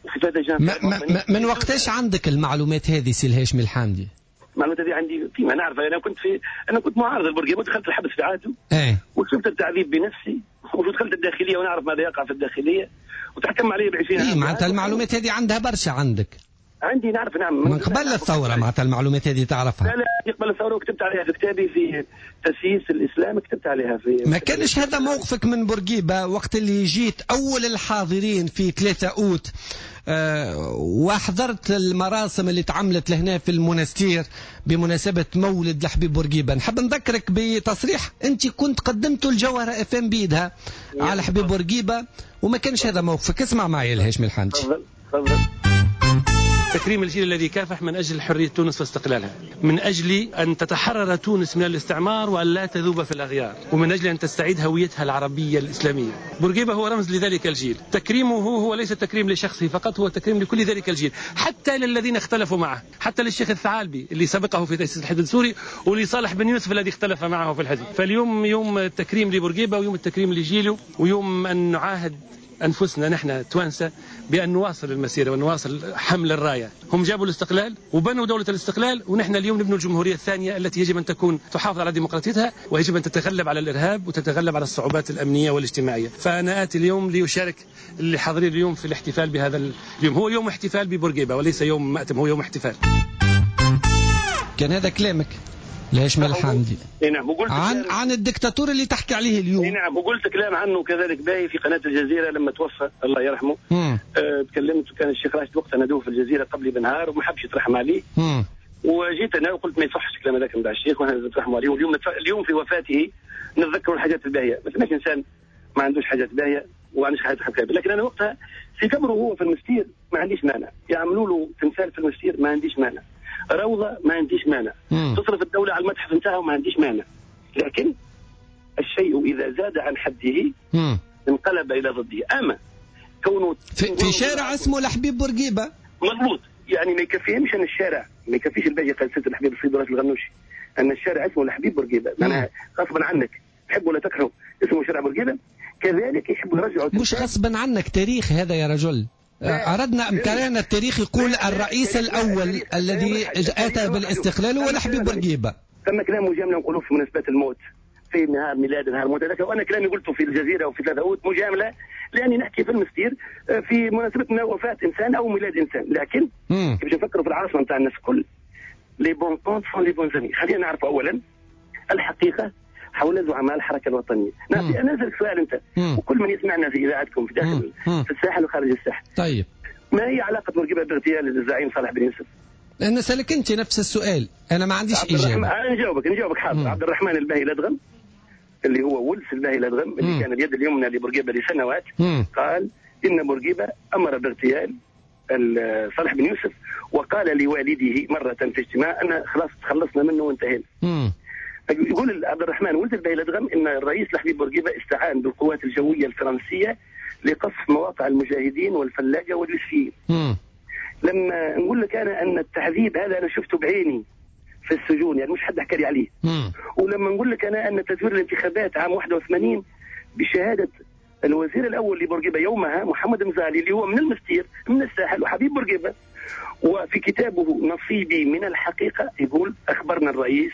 وفي ثلاثة جانفي. ما ما من وقتاش عندك المعلومات هذه سي الهاشمي الحامدي؟ المعلومات هذه عندي فيما نعرف، انا كنت في انا كنت معارض لبورقيبه ودخلت الحبس في عهده. ايه. وشفت التعذيب بنفسي، ودخلت الداخلية ونعرف ماذا يقع في الداخلية، وتحكم علي ب عشرين عام. إيه معناتها المعلومات هذه عندها برشا عندك. عندي نعرف، نعم، من قبل الثورة معناتها المعلومات هذه تعرفها. لا لا، قبل الثورة، وكتبت عليها في كتابي في تسييس الاسلام، كتبت عليها في. ما كانش هذا موقفك من بورقيبة وقت اللي جيت اول الحاضرين في ثلاثة اوت، أه وحضرت المراسم اللي تعملت لهنا في المونستير بمناسبة مولد لحبيب بورقيبة. نحب نذكرك بتصريح انت كنت قدمته الجوهرة اف ام بيدها على حبيب بورقيبة، وما كانش هذا موقفك. اسمع معي الهاشمي الحامدي. تفضل تفضل. تكريم الجيل الذي كافح من أجل حرية تونس واستقلالها، من أجل أن تتحرر تونس من الاستعمار وأن لا تذوب في الأغيار، ومن أجل أن تستعيد هويتها العربية الإسلامية. بورقيبة هو رمز لذلك الجيل، تكريمه هو ليس تكريم لشخصه فقط، هو تكريم لكل ذلك الجيل، حتى للذين اختلفوا معه، حتى للشيخ الثعالبي اللي سبقه في تأسيس الحزب السوري، ولصالح بن يوسف الذي اختلف معه في الحزب. فاليوم يوم التكريم لبورقيبة، ويوم التكريم لجيله، ويوم أن نعاهد أنفسنا نحن توانسة بأن نواصل المسيرة ونواصل حمل الراية. هم جابوا الاستقلال وبنوا دولة الاستقلال، ونحن اليوم نبني الجمهورية الثانية التي يجب أن تكون تحافظ على ديمقراطيتها، ويجب أن تتغلب على الإرهاب وتتغلب على الصعوبات الأمنية والاجتماعية. فأنا آتي اليوم ليشارك اللي حاضرين اليوم في الاحتفال بهذا اليوم. هو يوم احتفال ببورقيبة وليس يوم مأتم، هو يوم احتفال. كان هذا كلامك الهاشمي الحامدي. اي نعم، وقلت عن عن الدكتاتور اللي تحكي عليه اليوم. اي نعم، وقلت كلام عنه كذلك باهي في قناة الجزيرة لما توفى الله يرحمه. آه تكلمت، وكان الشيخ راشد وقتها ندوه في الجزيرة قبلي بنهار وما حبش يترحم عليه. مم. وجيت انا وقلت ما يصحش الكلام هذاك نتاع الشيخ، واحنا نترحموا عليه. واليوم اليوم في وفاته نتذكروا الحاجات الباهيه، ما فماش انسان ما عندوش حاجات باهيه وما عندوش حاجات خايبة، لكن انا وقتها في قبره هو في المستير ما عنديش مانع، يعملوا له تمثال في المستير ما عنديش مانع، روضة ما عنديش مانع، تصرف الدولة على المتحف نتاعه ما عنديش مانع، لكن الشيء إذا زاد عن حده مم. انقلب إلى ضده. أما كونه في, في شارع اسمه الحبيب بورقيبة، مضبوط، يعني ما يكفيهمش أن الشارع ما يكفيش الباقي قال سيد الحبيب السيد راشد الغنوشي أن الشارع اسمه الحبيب بورقيبة، معناها غصبا عنك تحب ولا تكره اسمه شارع بورقيبة. كذلك يحبوا يرجعوا، مش غصبا عنك، تاريخ هذا يا رجل. أردنا أمكاننا التاريخ يقول الرئيس الأول الذي أتى بالاستقلال هو الحبيب بورقيبة. ثم كلام مجاملة نقولوه في مناسبات الموت، في نهار ميلاد نهار الموت هذاك، وأنا كلامي قلته في الجزيرة وفي ثلاثة أوت مجاملة، لأني نحكي في المستير في مناسبة وفاة إنسان أو ميلاد إنسان. لكن كيفاش نفكروا في العاصمة نتاع الناس الكل، les bons comptes font les bons amis. خلينا نعرف أولا الحقيقة حول زعماء الحركة الوطنية. أنا أسألك سؤال أنت مم. وكل من يسمعنا في إذاعتكم في داخل مم. في الساحل وخارج الساحل. طيب، ما هي علاقة بورقيبة باغتيال الزعيم صالح بن يوسف؟ أنا سألك أنت نفس السؤال، أنا ما عنديش إجابة. أنا نجاوبك نجاوبك حاضر. عبد الرحمن الباهي الأدغم اللي هو ولس الباهي الأدغم اللي مم. كان اليد اليمنى لبورقيبة لسنوات، مم. قال إن بورقيبة أمر باغتيال صالح بن يوسف، وقال لوالده مرة في اجتماع أنا خلاص تخلصنا منه وانتهينا. يقول عبد الرحمن ولد الباهي الأدغم إن الرئيس الحبيب بورقيبة استعان بالقوات الجوية الفرنسية لقصف مواقع المجاهدين والفلاجة واليوسفيين. لما نقول لك أنا أن التعذيب هذا أنا شفته بعيني في السجون، يعني مش حد حكى لي عليه. مم. ولما نقول لك أنا أن تزوير الانتخابات عام واحد وثمانين بشهادة الوزير الأول لبورقيبة يومها محمد مزالي اللي هو من المستير من الساحل وحبيب بورقيبة، وفي كتابه نصيبي من الحقيقة يقول أخبرنا الرئيس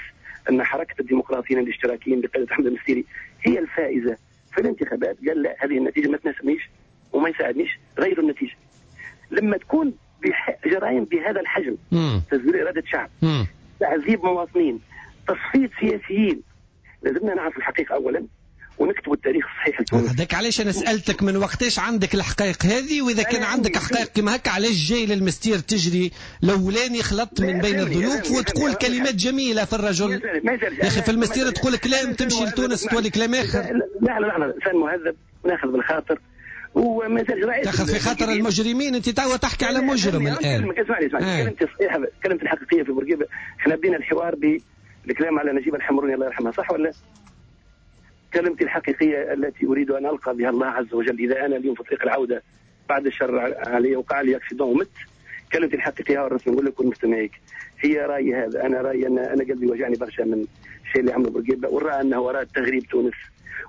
أن حركة الديمقراطيين الاشتراكيين بقيادة أحمد المستيري هي الفائزة في الانتخابات. قال لا، هذه النتيجة ما تناسبنيش وما يساعدنيش، غيروا النتيجة. لما تكون جرائم بهذا الحجم، تزوير إرادة شعب، تعذيب مواطنين، تصفية سياسيين، لازمنا نعرف الحقيقة أولا، ونكتبوا التاريخ الصحيح لتونس. هذاك علاش انا سالتك من وقتاش عندك الحقائق هذه، واذا كان عندك حقائق كما هكا علاش جاي للمستير تجري الاولاني خلطت من بين الضيوف وتقول كلمات جميلة في الرجل؟ يا اخي في المستير تقول كلام، تمشي لتونس تولي كلام اخر. لا لا لا، انسان مهذب وناخذ بالخاطر وما زالش تاخذ في خاطر المجرمين. انت توا تحكي على مجرم الان. اسمعني اسمعني، كلمتي الصحيحة، كلمتي الحقيقية في بورقيبة، احنا بدينا الحوار بالكلام على نجيب الحمروني الله يرحمها، صح ولا؟ كلمتي الحقيقية التي أريد أن ألقى بها الله عز وجل إذا أنا اليوم في طريق العودة بعد الشر علي وقع لي accident ومت، كلمتي الحقيقية والرسم نقول لك والمستمعيك هي رأيي هذا. أنا رأيي أن أنا قلبي وجعني برشا من الشيء اللي عمله بورقيبة، ورأى أنه أراد تغريب تونس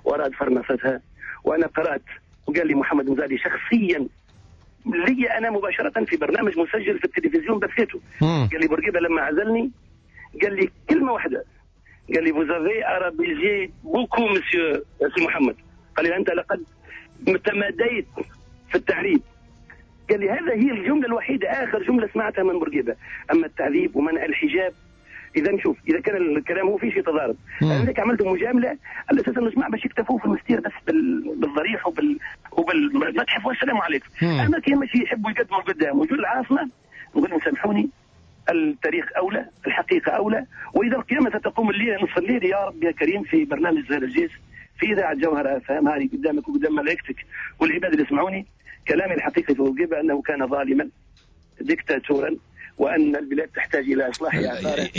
وأراد فرنستها. وأنا قرأت وقال لي محمد مزالي شخصيا لي أنا مباشرة في برنامج مسجل في التلفزيون بثيته، قال لي بورقيبة لما عزلني قال لي كلمة واحدة، قال لي vous avez arabisé beaucoup monsieur سي محمد، قال لي أنت لقد تماديت في التعريب. قال لي هذا هي الجملة الوحيدة، آخر جملة سمعتها من بورقيبة. أما التعذيب ومنع الحجاب، إذا نشوف إذا كان الكلام هو فيه شيء تضارب، أنا عملت مجاملة على أساس أنه جماعة باش يكتفوا في المستير بس بالضريح وبال وبالمتحف والسلام عليكم. أما كي ماشي يحبوا يقدموا لقدام ويجوا العاصمة، نقول لهم سامحوني، التاريخ أولى، الحقيقة أولى. وإذا القيامة ستقوم الليلة نصف الليل يا رب يا كريم في برنامج زهير الجيس في إذاعة جوهرة أف أم، هذه قدامك وقدام ملائكتك والعباد اللي يسمعوني، كلامي الحقيقي في بورقيبة أنه كان ظالما ديكتاتورا، وأن البلاد تحتاج إلى إصلاح آثاره.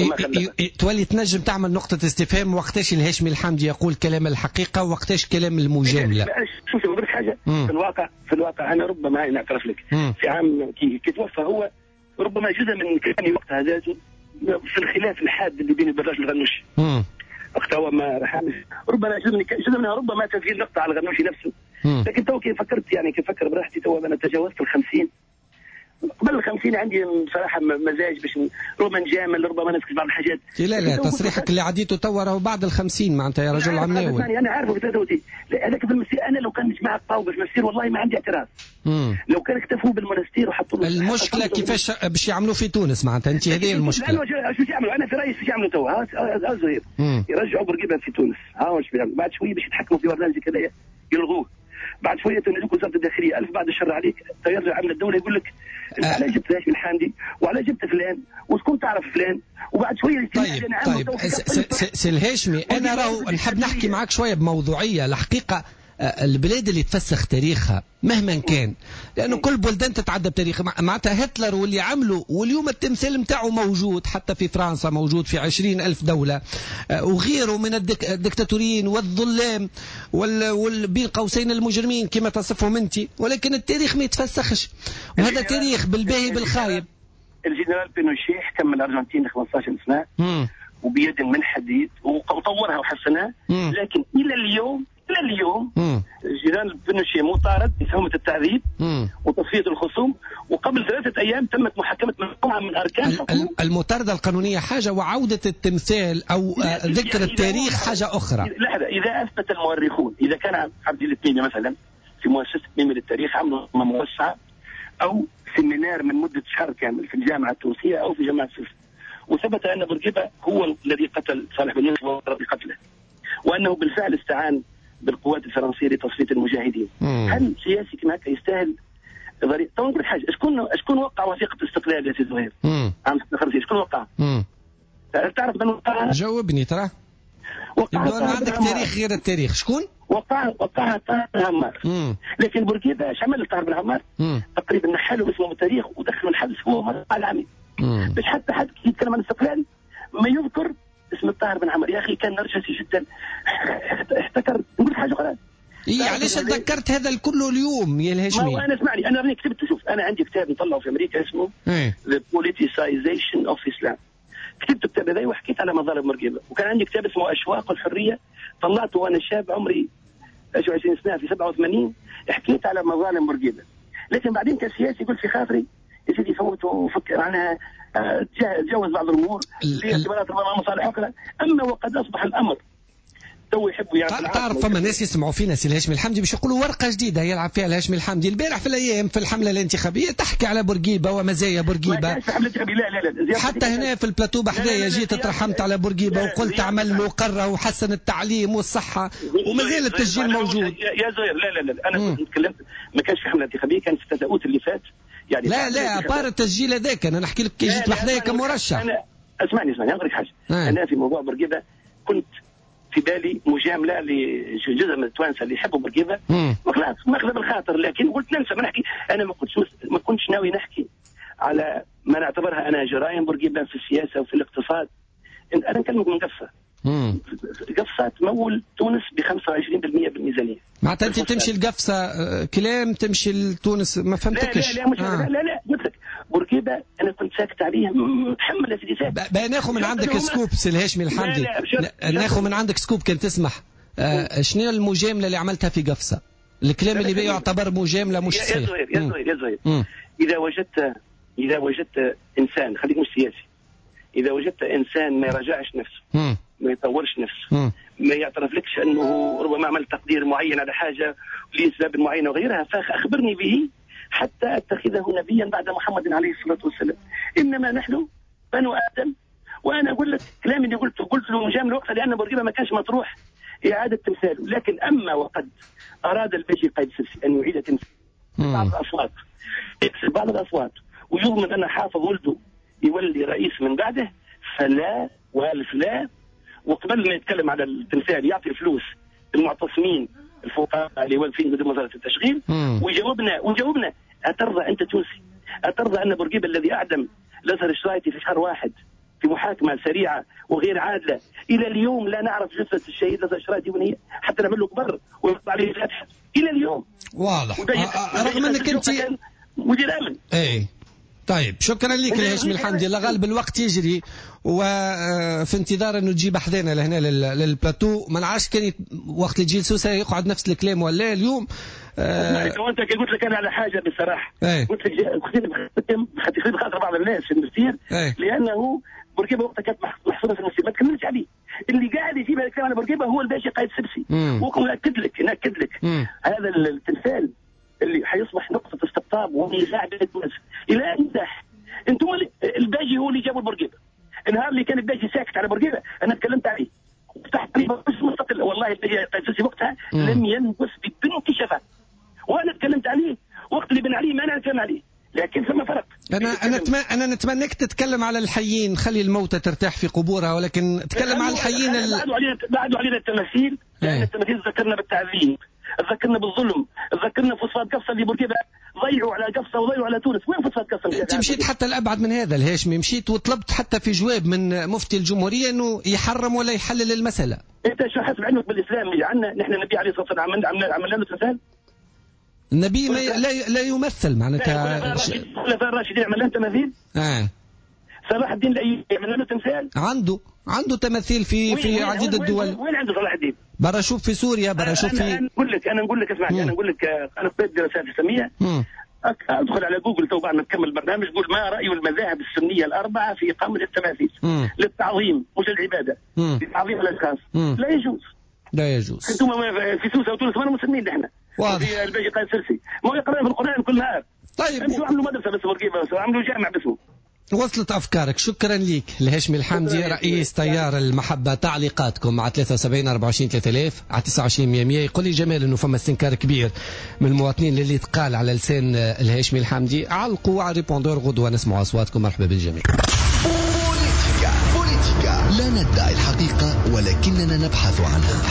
تولي تنجم تعمل نقطة استفهام وقتاش الهاشمي الحامدي يقول كلام الحقيقة وقتاش كلام المجاملة. شوف نقول حاجة في الواقع، في الواقع أنا ربما نعترف لك مم. في عام كي, كي توفى هو ربما جزء من كلامي وقتها ذاته في الخلاف الحاد اللي بين البراج والغنوشي وقتها هو ما رحمش، ربما جزء من جزء منها ربما تسجيل نقطة على الغنوشي نفسه. مم. لكن تو كي فكرت يعني كي فكر براحتي تو أنا تجاوزت الخمسين، قبل الخمسين عندي بصراحة مزاج باش ربما نجامل، ربما نسكت بعض الحاجات. لا لا، تصريحك اللي عديته توا راهو بعد الخمسين معناتها يا رجل عمناوي. أنا عارفه في ثلاثة وثلاثين هذاك في المسير. أنا لو كان جماعة طاوبة في المسير والله ما عندي اعتراض. مم. لو كان اكتفوا بالمنستير وحطوا له المشكلة كيفاش باش يعملوا في تونس معناتها أنت هذه المشكلة. شو يعملوا؟ أنا في رأيي شو يعملوا توا؟ ها زهير يرجعوا بورقيبة في تونس، ها واش بيعملوا؟ بعد شوية باش يتحكموا في برنامج كذا يلغوه. بعد شوية تنادوك وزارة الداخلية الف بعد الشر عليك، يرجع عمل الدولة يقول لك أه. على جبت هاشم الحامدي وعلى جبت فلان وشكون تعرف فلان، وبعد شوية. طيب طيب سي الهاشمي، انا راهو نحب نحكي معاك شوية بموضوعية. الحقيقة البلاد اللي تفسخ تاريخها مهما كان، لأنه كل بلدان تتعدى بتاريخ، معناتها هتلر واللي عمله واليوم التمثال متاعه موجود حتى في فرنسا، موجود في عشرين ألف دولة وغيره من الدكتاتوريين والظلام وال بين قوسين المجرمين كما تصفهم أنت، ولكن التاريخ ما يتفسخش، وهذا تاريخ بالباهي بالخايب. الجنرال بينوشي حكم الأرجنتين خمسة عشر سنة وبيد من حديد وطورها وحسنها، لكن إلى اليوم إلى اليوم الجنرال بينوشي مطارد بتهمة التعذيب وتصفية الخصوم، وقبل ثلاثة أيام تمت محاكمة مجموعة من أركان المطاردة القانونية حاجة، وعودة التمثال أو ذكر التاريخ حاجة أخرى. لحظة، إذا أثبت المؤرخون، إذا كان عبد التميمي مثلا في مؤسسة تميمي للتاريخ عملوا موسعة أو séminaire من مدة شهر كامل في الجامعة التونسية أو في جامعة سوسة، وثبت أن بورقيبة هو الذي قتل صالح بن يوسف بقتله، وأنه بالفعل استعان بالقوات الفرنسية لتصفية المجاهدين. مم. هل سياسي كما هكا يستاهل ضريبة؟ تو نقول حاجة، شكون شكون وقع وثيقة الاستقلال يا سي زهير؟ عام ستة وخمسين شكون وقع؟ تعرف من وقعها؟ جاوبني ترى. وقعها عندك تاريخ غير التاريخ، شكون؟ وقعها وقعها طاهر بن عمار. لكن بورقيبة اش عمل طاهر بن عمار؟ تقريبا نحلوا اسمه من التاريخ ودخلوا الحبس هو ومرقع العميد. باش حتى حد يتكلم عن الاستقلال ما يذكر اسم الطاهر بن عمر. يا اخي كان نرجسي جدا، احتكر. نقول حاجة اخرى، إيه علاش تذكرت هذا الكل اليوم يا الهاشمي؟ ما هو انا اسمعني، انا راني كتبت، شوف انا عندي كتاب نطلعه في امريكا اسمه The Politicization of Islam، كتبت الكتاب هذا وحكيت على مظالم بورقيبة، وكان عندي كتاب اسمه اشواق الحرية طلعته وانا شاب عمري عشرين سنة في سبعة وثمانين، حكيت على مظالم بورقيبة. لكن بعدين كسياسي قلت في خاطري يا سيدي فوت وفكر عنها، تجاوز بعض الامور في اعتبارات ربما مصالح اخرى. اما وقد اصبح الامر تو يحبوا يعني. تعرف فما ناس يسمعوا فينا سي الهاشمي الحمدي باش يقولوا ورقة جديدة يلعب فيها الهاشمي الحمدي. البارح في الايام في الحملة الانتخابية تحكي على بورقيبة ومزايا بورقيبة. لا لا لا حتى هنا في البلاتو بحذايا جيت ترحمت على بورقيبة وقلت عمل له قرة وحسن التعليم والصحة ومازال التسجيل موجود. يا زهير لا لا لا انا كنت تكلمت ما كانش في حمله انتخابية، كان في تساؤلات اللي فات يعني. لا لا à part التسجيل هذاك انا نحكي لك كي جيت بحذايا كمرشح. انا اسمعني اسمعني نقول لك حاجة. آه. انا في موضوع بورقيبة كنت في بالي مجاملة لجزء من التوانسة اللي يحبوا بورقيبة وخلاص ماخذه بالخاطر، لكن قلت ننسى ما نحكي. انا ما كنتش ما كنتش ناوي نحكي على ما نعتبرها انا جرائم بورقيبة في السياسة وفي الاقتصاد. انا نكلمك من قفصه. قفصه تمول تونس ب خمسة وعشرين بالمئة بالميزانيه. معناتها انت تمشي لقفصه كلام تمشي لتونس ما فهمتكش. لا لا لا مش آه. لا لا قلت لك بورقيبة انا كنت ساكت عليه متحمل يا سيدي ساكت. بقى ناخذ من عندك scoop سي الهاشمي الحمدي، ناخذ من عندك scoop كان تسمح. آه شنو المجاملة اللي عملتها في قفصه؟ الكلام اللي يعتبر مجاملة مش صحيح. يا زهير يا زهير يا زهير اذا وجدت اذا وجدت انسان، خليك مش سياسي، اذا وجدت انسان ما يراجعش نفسه، مم. ما يطورش نفسه، مم. ما يعترف لكش انه ربما عمل تقدير معين على حاجة لاسباب معينة وغيرها، فاخبرني به حتى اتخذه نبيا بعد محمد عليه الصلاة والسلام. انما نحن بنو ادم. وانا اقول لك كلامي اللي قلته قلت له مجاملة وقتها لان بورقيبة ما كانش مطروح اعاده تمثاله، لكن اما وقد اراد الباشي قايد السبسي ان يعيد تمثال بعض الاصوات، يكسب بعض الاصوات ويضمن ان حافظ ولده يولي رئيس من بعده، فلا والف لا. وقبل ما يتكلم على التمثال يعطي الفلوس المعتصمين الفقراء اللي واقفين قدام وزارة التشغيل. ويجاوبنا ويجاوبنا اترضى انت تونسي، اترضى ان بورقيبة الذي اعدم الازهر الشرايطي في شهر واحد في محاكمة سريعة وغير عادلة، الى اليوم لا نعرف جثة الشهيد الازهر الشرايطي وين هي، حتى نعمل له قبر ويحط عليه فاتحة الى اليوم. واضح رغم انك انت مدير امن. اي طيب شكرا لك الهاشمي الحمدي. الله غالب الوقت يجري وفي انتظار انه تجيب حذانا لهنا للبلاتو. ما نعرفش كان وقت اللي تجي لسوسه يقعد نفس الكلام ولا اليوم. آه انت كي قلت لك انا على حاجة بصراحة. ايه؟ قلت لك خليني بخاطر بعض الناس في المستير. ايه؟ لانه بورقيبة وقتها كانت محصورة في المستير ما تكملش عليه. اللي قاعد يجيب هذا الكلام على بورقيبة هو الباشا قايد السبسي. ونأكد لك نأكد لك مم. هذا التمثال اللي حيصبح نقطة استقطاب ونزاع بين تونس إلى أن نزاح. أنتم الباجي هو اللي جابوا بورقيبة. النهار اللي كان الباجي ساكت على بورقيبة أنا تكلمت عليه وفتحت عليه مستقل. والله الباجي قايد وقتها لم ينبس ببنت شفا، وأنا تكلمت عليه وقت اللي بن علي ما أنا نتكلم عليه، لكن ثم فرق. أنا أنا أتمنى أنا نتمنىك تتكلم على الحيين، خلي الموتى ترتاح في قبورها، ولكن تكلم على الحيين. ال... بعدوا علينا بعدوا علينا التماثيل، لأن التماثيل ذكرنا بالتعذيب، ذكرنا بالظلم، ذكرنا فوسفات قفصه اللي بورقيبة ضيعوا على قفصه وضيعوا على تونس. وين فوسفات قفصه؟ انت مشيت حتى الابعد من هذا الهاشمي، مشيت وطلبت حتى في جواب من مفتي الجمهورية انه يحرم ولا يحلل المسالة. انت شو حسب علمك بالاسلام اللي عندنا نحن النبي عليه الصلاة والسلام عملنا عملنا له تمثال؟ النبي ما لا لا يمثل معناتها. الخلفاء الراشدين عملنا لهم تماثيل؟ اه صلاح الدين الايوبي عملنا له تمثال؟ عنده عنده تماثيل في في عديد الدول. وين, وين عنده صلاح الدين؟ برا شوف في سوريا، برا شوف في. انا نقول لك انا نقول لك اسمعني، انا نقول لك انا قريت دراسات اسلامية. ادخل على جوجل تو بعد ما تكمل البرنامج قول ما راي المذاهب السنية الاربعة في اقامه التماثيل للتعظيم مش للعبادة، لتعظيم الاشخاص. لا يجوز. لا يجوز. انتم في سوسة وتونس ما مسلمين نحن. واضح. الباجي قايد سرسي ما يقرأ في القران كل نهار. طيب امشوا عملوا مدرسه بس بورقيبة، عملوا جامع باسمه. وصلت أفكارك. شكرا لك الهاشمي الحمدي رئيس تيار المحبة. تعليقاتكم على ثلاثة وسبعين أربعة وعشرين ثلاثة آلاف على تسعة وعشرين مية مية. يقول لي جمال أنه فما استنكار كبير من المواطنين اللي تقال على لسان الهاشمي الحمدي. علقوا على répondeur غدوة نسمع أصواتكم. مرحبا بالجميع. بوليتيكا بوليتيكا لا ندعي الحقيقة ولكننا نبحث عنها.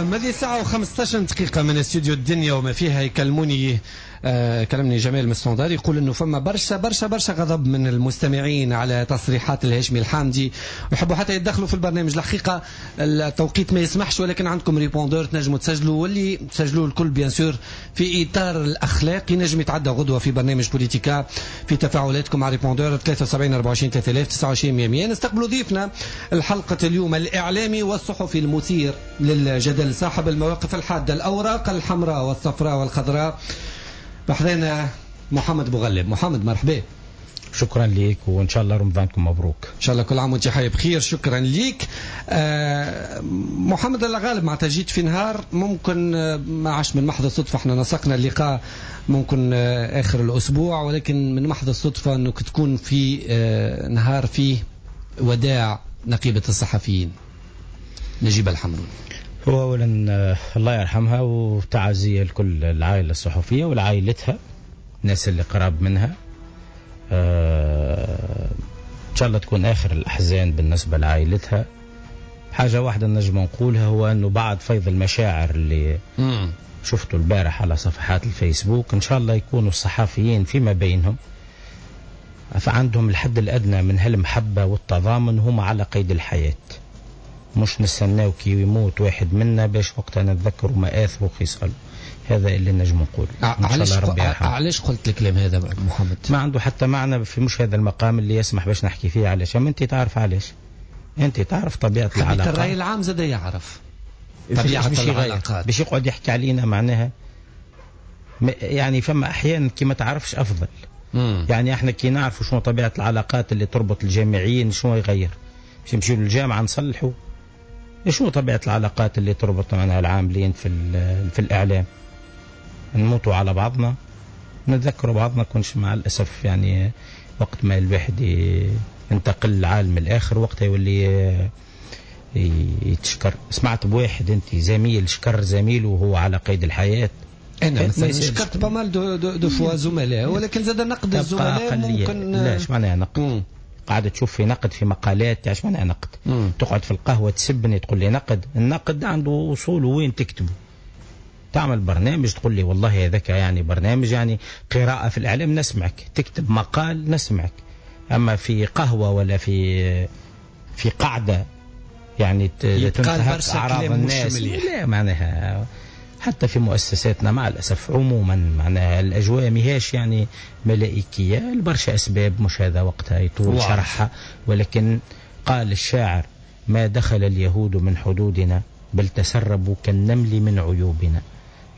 الماضي ساعة وخمسة عشر دقيقة من استوديو الدنيا وما فيها. يكلموني آه كلمني جمال من standard يقول انه فما برشا برشا برشا غضب من المستمعين على تصريحات الهاشمي الحامدي ويحبوا حتى يتدخلوا في البرنامج. الحقيقة التوقيت ما يسمحش، ولكن عندكم répondeur تنجموا تسجلوا، واللي تسجلوا الكل bien sûr في اطار الاخلاق ينجم يتعدى غدوه في برنامج بوليتيكا في تفاعلاتكم على répondeur ثلاثة وسبعين أربعة وعشرين ثلاثة آلاف تسعة وعشرين مية مية. نستقبلوا ضيفنا الحلقة اليوم الاعلامي والصحفي المثير للجدل صاحب المواقف الحادة، الاوراق الحمراء والصفراء والخضراء، بحذانا محمد بوغلب. محمد مرحبا. شكرا لك وان شاء الله رمضانكم مبروك. ان شاء الله كل عام وانت حي بخير. شكرا لك. آه محمد الغالب، معناتها جيت في نهار ممكن ما عاش من محض الصدفة، احنا نسقنا اللقاء ممكن آه اخر الاسبوع، ولكن من محض الصدفة انك تكون في آه نهار فيه وداع نقيبه الصحفيين نجيبة الحمروني. هو اولا الله يرحمها، وتعازيه لكل العائلة الصحفية ولعائلتها، الناس اللي قراب منها. آه، إن شاء الله تكون آخر الأحزان بالنسبة لعائلتها. حاجة واحدة نجم نقولها، هو أنه بعد فيض المشاعر اللي مم. شفته البارح على صفحات الفيسبوك، إن شاء الله يكونوا الصحفيين فيما بينهم فعندهم الحد الأدنى من هالمحبة والتضامن، هم على قيد الحياة، مش نستناو كي يموت واحد منا باش وقتها نتذكروا مآثره وخصاله. هذا اللي نجم نقول. علاش علاش قلت الكلام هذا محمد؟ ما عنده حتى معنى في مش هذا المقام اللي يسمح باش نحكي فيه. علاش؟ انت تعرف علاش، انت تعرف طبيعة العلاقات. الرأي العام زاد يعرف طبيعة العلاقات، باش يقعد يحكي علينا معناها يعني. فما احيانا كي ما تعرفش افضل. مم. يعني احنا كي نعرفوا شنو طبيعة العلاقات اللي تربط الجامعيين، شنو يغير؟ باش نمشيو للجامعة نصلحوا شنو طبيعة العلاقات اللي تربط معناها العاملين في في الاعلام. نموتوا على بعضنا، نتذكروا بعضنا، كنش مع الأسف يعني وقت ما الواحد ينتقل للعالم الآخر وقتها يولي يتشكر. سمعت بواحد أنت زميل شكر زميله وهو على قيد الحياة. أنا مثلا شكرت pas mal de, de, de fois زملاء، ولكن زاد نقد الزملاء ممكن. لا، اش معناها نقد؟ قاعدة تشوف في نقد في مقالات، اش معناها نقد؟ مم. تقعد في القهوة تسبني تقول لي نقد. النقد عنده أصوله، وين تكتبه؟ تعمل برنامج تقول لي والله هذاك يعني برنامج يعني قراءة في الإعلام نسمعك، تكتب مقال نسمعك. أما في قهوة ولا في في قعدة يعني تنتهك أعراض الناس، لا معناها. حتى في مؤسساتنا مع الأسف عموما معناها الأجواء مهاش يعني ملائكية لبرشا أسباب، مش هذا وقتها يطول شرحها. ولكن قال الشاعر: ما دخل اليهود من حدودنا بل تسربوا كالنمل من عيوبنا.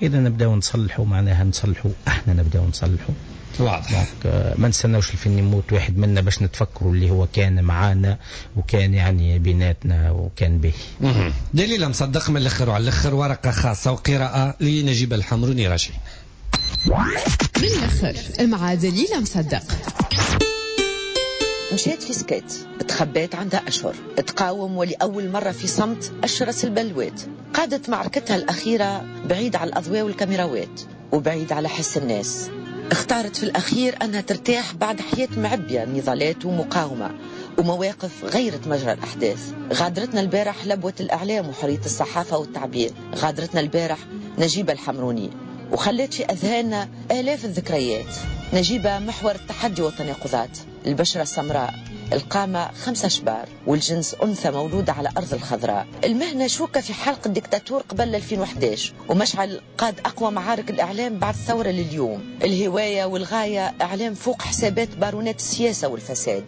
إذا نبداو نصلحوا معناها نصلحوا احنا، نبداو نصلحوا. واضح. ما نستناوش الفن يموت واحد منا باش نتفكروا اللي هو كان معانا وكان يعني بيناتنا وكان به. دليل مصدق من الاخر وعلى الاخر، ورقة خاصة وقراءة لنجيب الحمروني. راجعين من الاخر مع دليل مصدق. مشيت في سكات، تخبيت عندها أشهر، تقاوم ولأول مرة في صمت أشرس البلوات. قادت معركتها الأخيرة بعيد على الأضواء والكاميراوات وبعيد على حس الناس. اختارت في الأخير أنها ترتاح بعد حياة معبية نضالات ومقاومة ومواقف غيرت مجرى الأحداث. غادرتنا البارح لبوة الإعلام وحرية الصحافة والتعبير. غادرتنا البارح نجيبة الحمروني وخلت في أذهاننا آلاف الذكريات. نجيبة محور التحدي والتناقضات، البشرة السمراء، القامة خمسة شبار، والجنس أنثى مولودة على أرض الخضراء. المهنة شوكة في حلق الدكتاتور قبل ألفين وأحد عشر، ومشعل قاد أقوى معارك الإعلام بعد الثورة لليوم. الهواية والغاية إعلام فوق حسابات بارونات السياسة والفساد.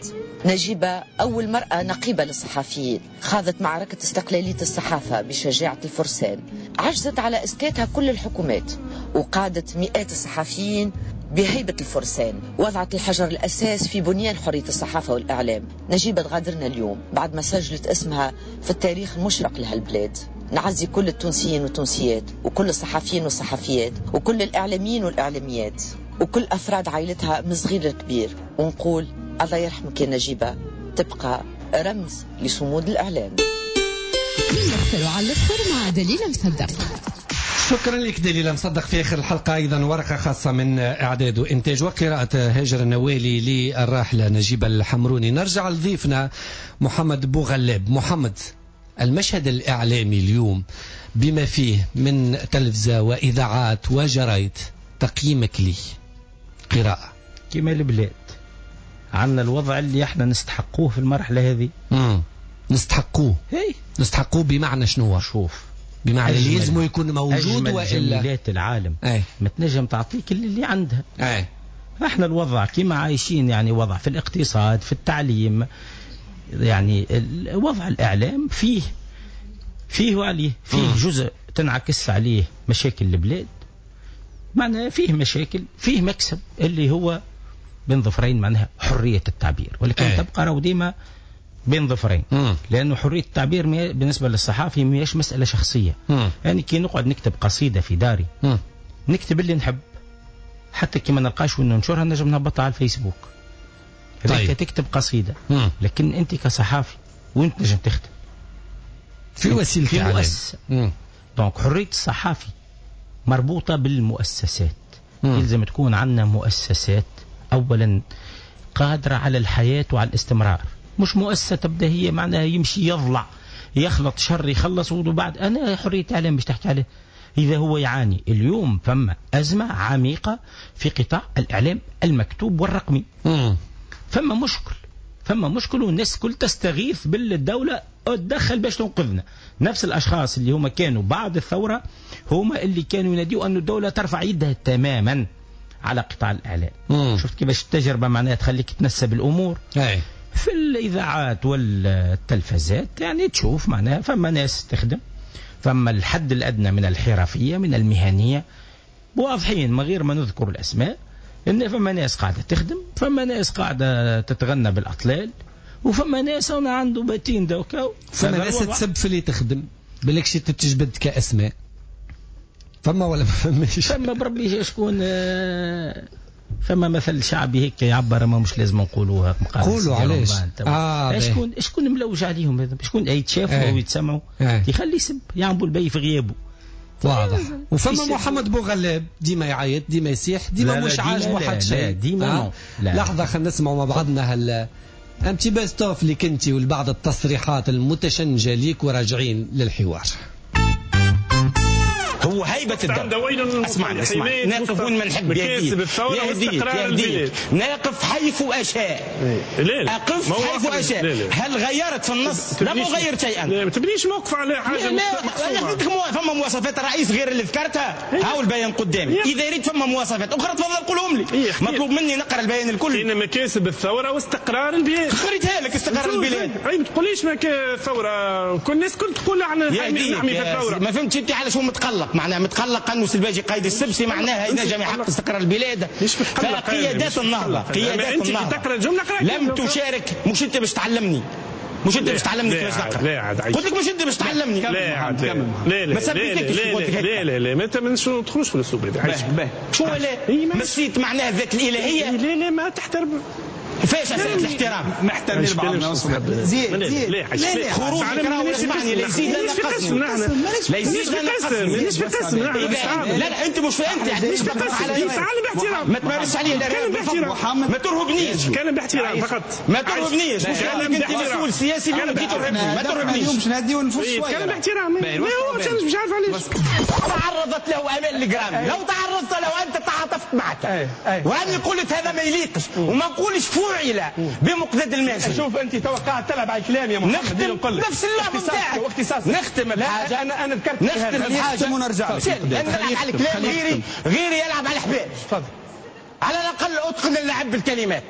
نجيبة أول مرأة نقيبة للصحفيين، خاضت معركة استقلالية الصحافة بشجاعة الفرسان، عجزت على إسكاتها كل الحكومات وقادت مئات الصحفيين بهيبة الفرسان، وضعت الحجر الأساس في بنيان حرية الصحافة والإعلام. نجيبة تغادرنا اليوم بعد ما سجلت اسمها في التاريخ المشرق لهالبلاد. نعزي كل التونسيين والتونسيات وكل الصحفيين والصحفيات وكل الإعلاميين والإعلاميات وكل أفراد عائلتها من صغير للكبير، ونقول الله يرحمك يا نجيبة، تبقى رمز لصمود الإعلام. من على الآخر مع دليل مصدق. شكرا لك دليل مصدق. في آخر الحلقة أيضا ورقة خاصة من إعداد وإنتاج وقراءة هاجر النوالي للراحلة نجيبة الحمروني. نرجع لضيفنا محمد بوغلاب. محمد، المشهد الإعلامي اليوم بما فيه من تلفزة وإذاعات وجرايد، تقييمك لي قراءة؟ كما البلاد عندنا الوضع اللي احنا نستحقوه في المرحلة هذه. مم. نستحقوه. هي. نستحقوه بمعنى شنو؟ شوف، بمعنى اللي لازم يكون موجود والا جميلات العالم أي. ما تنجم تعطيك اللي, اللي عندها. أي. احنا الوضع كما عايشين، يعني وضع في الاقتصاد، في التعليم، يعني وضع الإعلام فيه فيه وعليه فيه م. جزء تنعكس عليه مشاكل البلاد، معناها فيه مشاكل، فيه مكسب اللي هو بين ظفرين معناها حرية التعبير، ولكن أي. تبقى راهو ديما بين ظفرين، لأنه حرية التعبير بالنسبة للصحافي ماهيش مسألة شخصية. مم. يعني كي نقعد نكتب قصيدة في داري، مم. نكتب اللي نحب، حتى كي ما نلقاش وين ننشرها نجم نهبطها على الفيسبوك. طيب. تكتب قصيدة، مم. لكن أنت كصحافي وين تنجم تخدم؟ في وسيلة في مؤسسة. donc حرية الصحافي مربوطة بالمؤسسات. مم. يلزم تكون عندنا مؤسسات أولا قادرة على الحياة وعلى الاستمرار، مش مؤسسة تبدأ هي معناها يمشي يضلع يخلط شر يخلص وبعد. أنا حرية إعلام مش تحكي عليه إذا هو يعاني اليوم. فما أزمة عميقة في قطاع الإعلام المكتوب والرقمي. مم. فما مشكل، فما مشكل، والناس كل تستغيث بالدولة تدخل باش تنقذنا. نفس الأشخاص اللي هما كانوا بعد الثورة هما اللي كانوا يناديوا أن الدولة ترفع يدها تماما على قطاع الإعلام. مم. شفت كيفاش التجربة معناها تخليك تنسب الأمور. أي. في الإذاعات والتلفزات يعني تشوف معناها فما ناس تخدم، فما الحد الأدنى من الحرفية من المهنية واضحين من غير ما نذكر الأسماء، إن فما ناس قاعدة تخدم، فما ناس قاعدة تتغنى بالأطلال، وفما ناس أنا عنده باتين دوكا، فما ناس تسب في اللي تخدم بالكش تتجبد كأسماء. فما ولا ما فماش؟ فما بربي شكون. فما مثل شعبي هيك يعبر، ما مش لازم نقولوها. قولوا علاش؟ آه شكون شكون ملوج عليهم هذا؟ شكون يتشافوا ويتسمعوا؟ يخلي يسب يعملوا البي في غيابه. واضح. وفما محمد بوغلاب ديما يعيط ديما يسيح ديما مش عاجبه حد شيء ديما. آه. لحظة خلينا نسمعوا مع بعضنا هال un petit best-of اللي كنتي والبعض التصريحات المتشنجه ليك، وراجعين للحوار. هو هيبة الدولة. اسمعني اسمعني، نقف وين ما نحب، يهديك يهديك، نقف حيث أشاء. أقف حيث أشاء. هل غيرت في النص؟ لم أغير شيئا. لا ما تبنيش موقف على حاجة. لا أنا قلت لك فما مواصفات الرئيس غير اللي ذكرتها، هاو البيان قدامي. إذا ريت فما مواصفات أخرى تفضل قولهم لي. مطلوب مني نقرأ البيان الكل. إن مكاسب الثورة واستقرار البلاد. قريتها لك استقرار البلاد. أي ما تقوليش ثورة، كل الناس كل تقول احنا نحمي في الثورة. ما فهمتش أنت علاش هو متقلق. معناها متقلق انه الباجي قايد السبسي معناها ينجم يحقق استقرار البلاد. فقيادات النهضة، قيادات النهضة لم تشارك. مش انت باش تعلمني، مش انت باش تعلمني كيفاش نقرا. لا عاد قلت لك مش انت باش تعلمني. لا عاد لا لا ما سبيتكش. لا لا لا لا ما تدخلوش في الاسلوب هذا. شو لا مسيت معناها الذات الالهية. لا لا ما تحترم. فاش أسئلة الاحترام؟ ما احترمناش بعضنا. زيد زيد خروجك راهو اسمعني لا يزيد لا ينقصني، لا يزيد لا ينقصني. مانيش في قسم. لا لا انت مش في انت مش في قسم. تعلم باحترام، ما تمارسش علي باحترام، ما ترهبنيش. تكلم باحترام فقط، ما ترهبنيش. مش انت مسؤول سياسي اليوم تجي ترهبني، ما ترهبنيش. اليوم باش نهديو النفوس شوية. تكلم باحترام. لا هو مش عارف علاش تعرضت له امال الجرامي. لو تعرضت له انت تعاطفت معك، واني قلت هذا ما يليقش وما نقولش فعل بمقداد الماجري. شوف انت تو قاعد تلعب على الكلام يا محمد. نختم نفس اللعبة نتاعك. نختم بحاجة. انا انا ذكرت نختم بحاجة ونرجع لك. انا نلعب على الكلام، غيري غيري يلعب على الحبال. تفضل. على الاقل اتقن اللعب بالكلمات.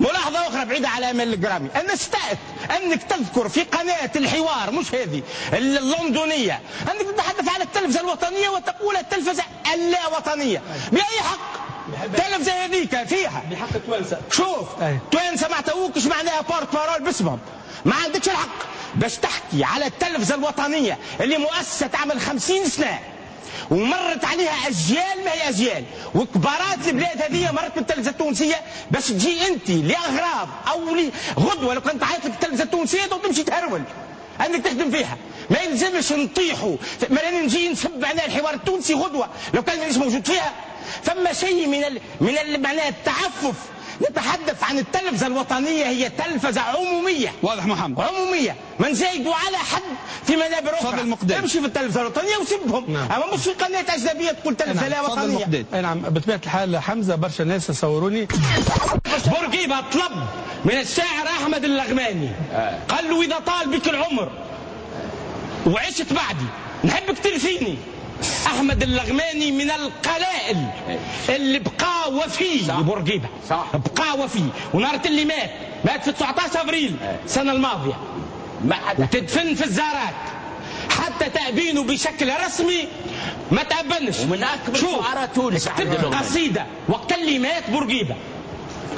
ملاحظة أخرى بعيدة على أمال الجرامي، أنا استأت أنك تذكر في قناة الحوار مش هذه اللندنية أنك تتحدث على التلفزة الوطنية وتقول التلفزة اللا وطنية. بأي حق؟ التلفزة هذيك فيها بحق التوانسة. شوف توانسة ما عطاوكش معناها porte-parole باسمهم، ما عندكش الحق باش تحكي على التلفزة الوطنية اللي مؤسسة تعمل خمسين سنة ومرت عليها أجيال ما هي أجيال، وكبارات البلاد هذه مرت بالتلفزة التونسية، باش تجي أنت لأغراض أو غدوة لو كنت عيط لك التلفزة التونسية تمشي تهرول أنك تخدم فيها. ما يلزمش نطيحوا، ما نجي نسب على الحوار التونسي غدوة لو كان مانيش موجود فيها. فما شيء من ال... من ال... معناها التعفف. نتحدث عن التلفزة الوطنية، هي تلفزة عمومية. واضح محمد، عمومية، ما نزايدوا على حد في منابر أخرى. امشي في التلفزة الوطنية وسبهم. نعم. أما مش في قناة أجنبية تقول تلفزة لا وطنية. نعم بطبيعة الحال حمزة برشا ناس صوروني. بورقيبة طلب من الشاعر أحمد اللغماني، قال له إذا طال بك العمر وعشت بعدي نحبك ترثيني. أحمد اللغماني من القلائل اللي بقى وفي لبورقيبة، بقى وفي. ونهار اللي مات، مات في تسعة عشر أفريل السنة الماضية، وتدفن في الزارات حتى تأبينه بشكل رسمي ما تأبنش. ومن أكبر شعراء تونس كتبت قصيدة وقت اللي مات بورقيبة،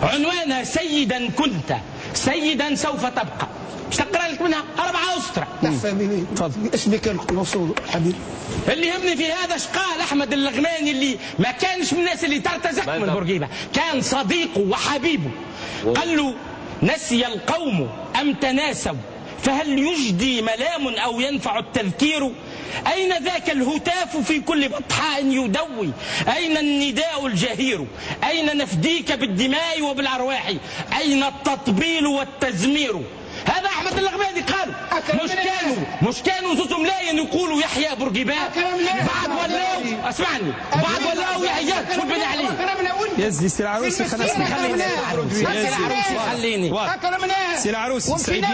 عنوانها سيدا كنت سيدا سوف تبقى. باش تقرا لك منها أربعة أسطرة. تفضل. اسمك الموصول حبيبي. اللي يهمني في هذا اش قال أحمد اللغماني اللي ما كانش من الناس اللي ترتزق من بورقيبة، كان صديقه وحبيبه. قال له نسي القوم أم تناسوا فهل يجدي ملام أو ينفع التذكير؟ أين ذاك الهتاف في كل بطحاء يدوي؟ أين النداء الجهير؟ أين نفديك بالدماء وبالأرواح؟ أين التطبيل والتزمير؟ هذا أحمد اللغماني قال. مش كانوا مش كانوا زوز ملايين يقولوا يحيى بورقيبة، بعد ولاو اسمعني بعد ولاو يحيى والبني عليه. يزي سي العروسي خليني خليني سي العروسي خليني سي العروسي سعيد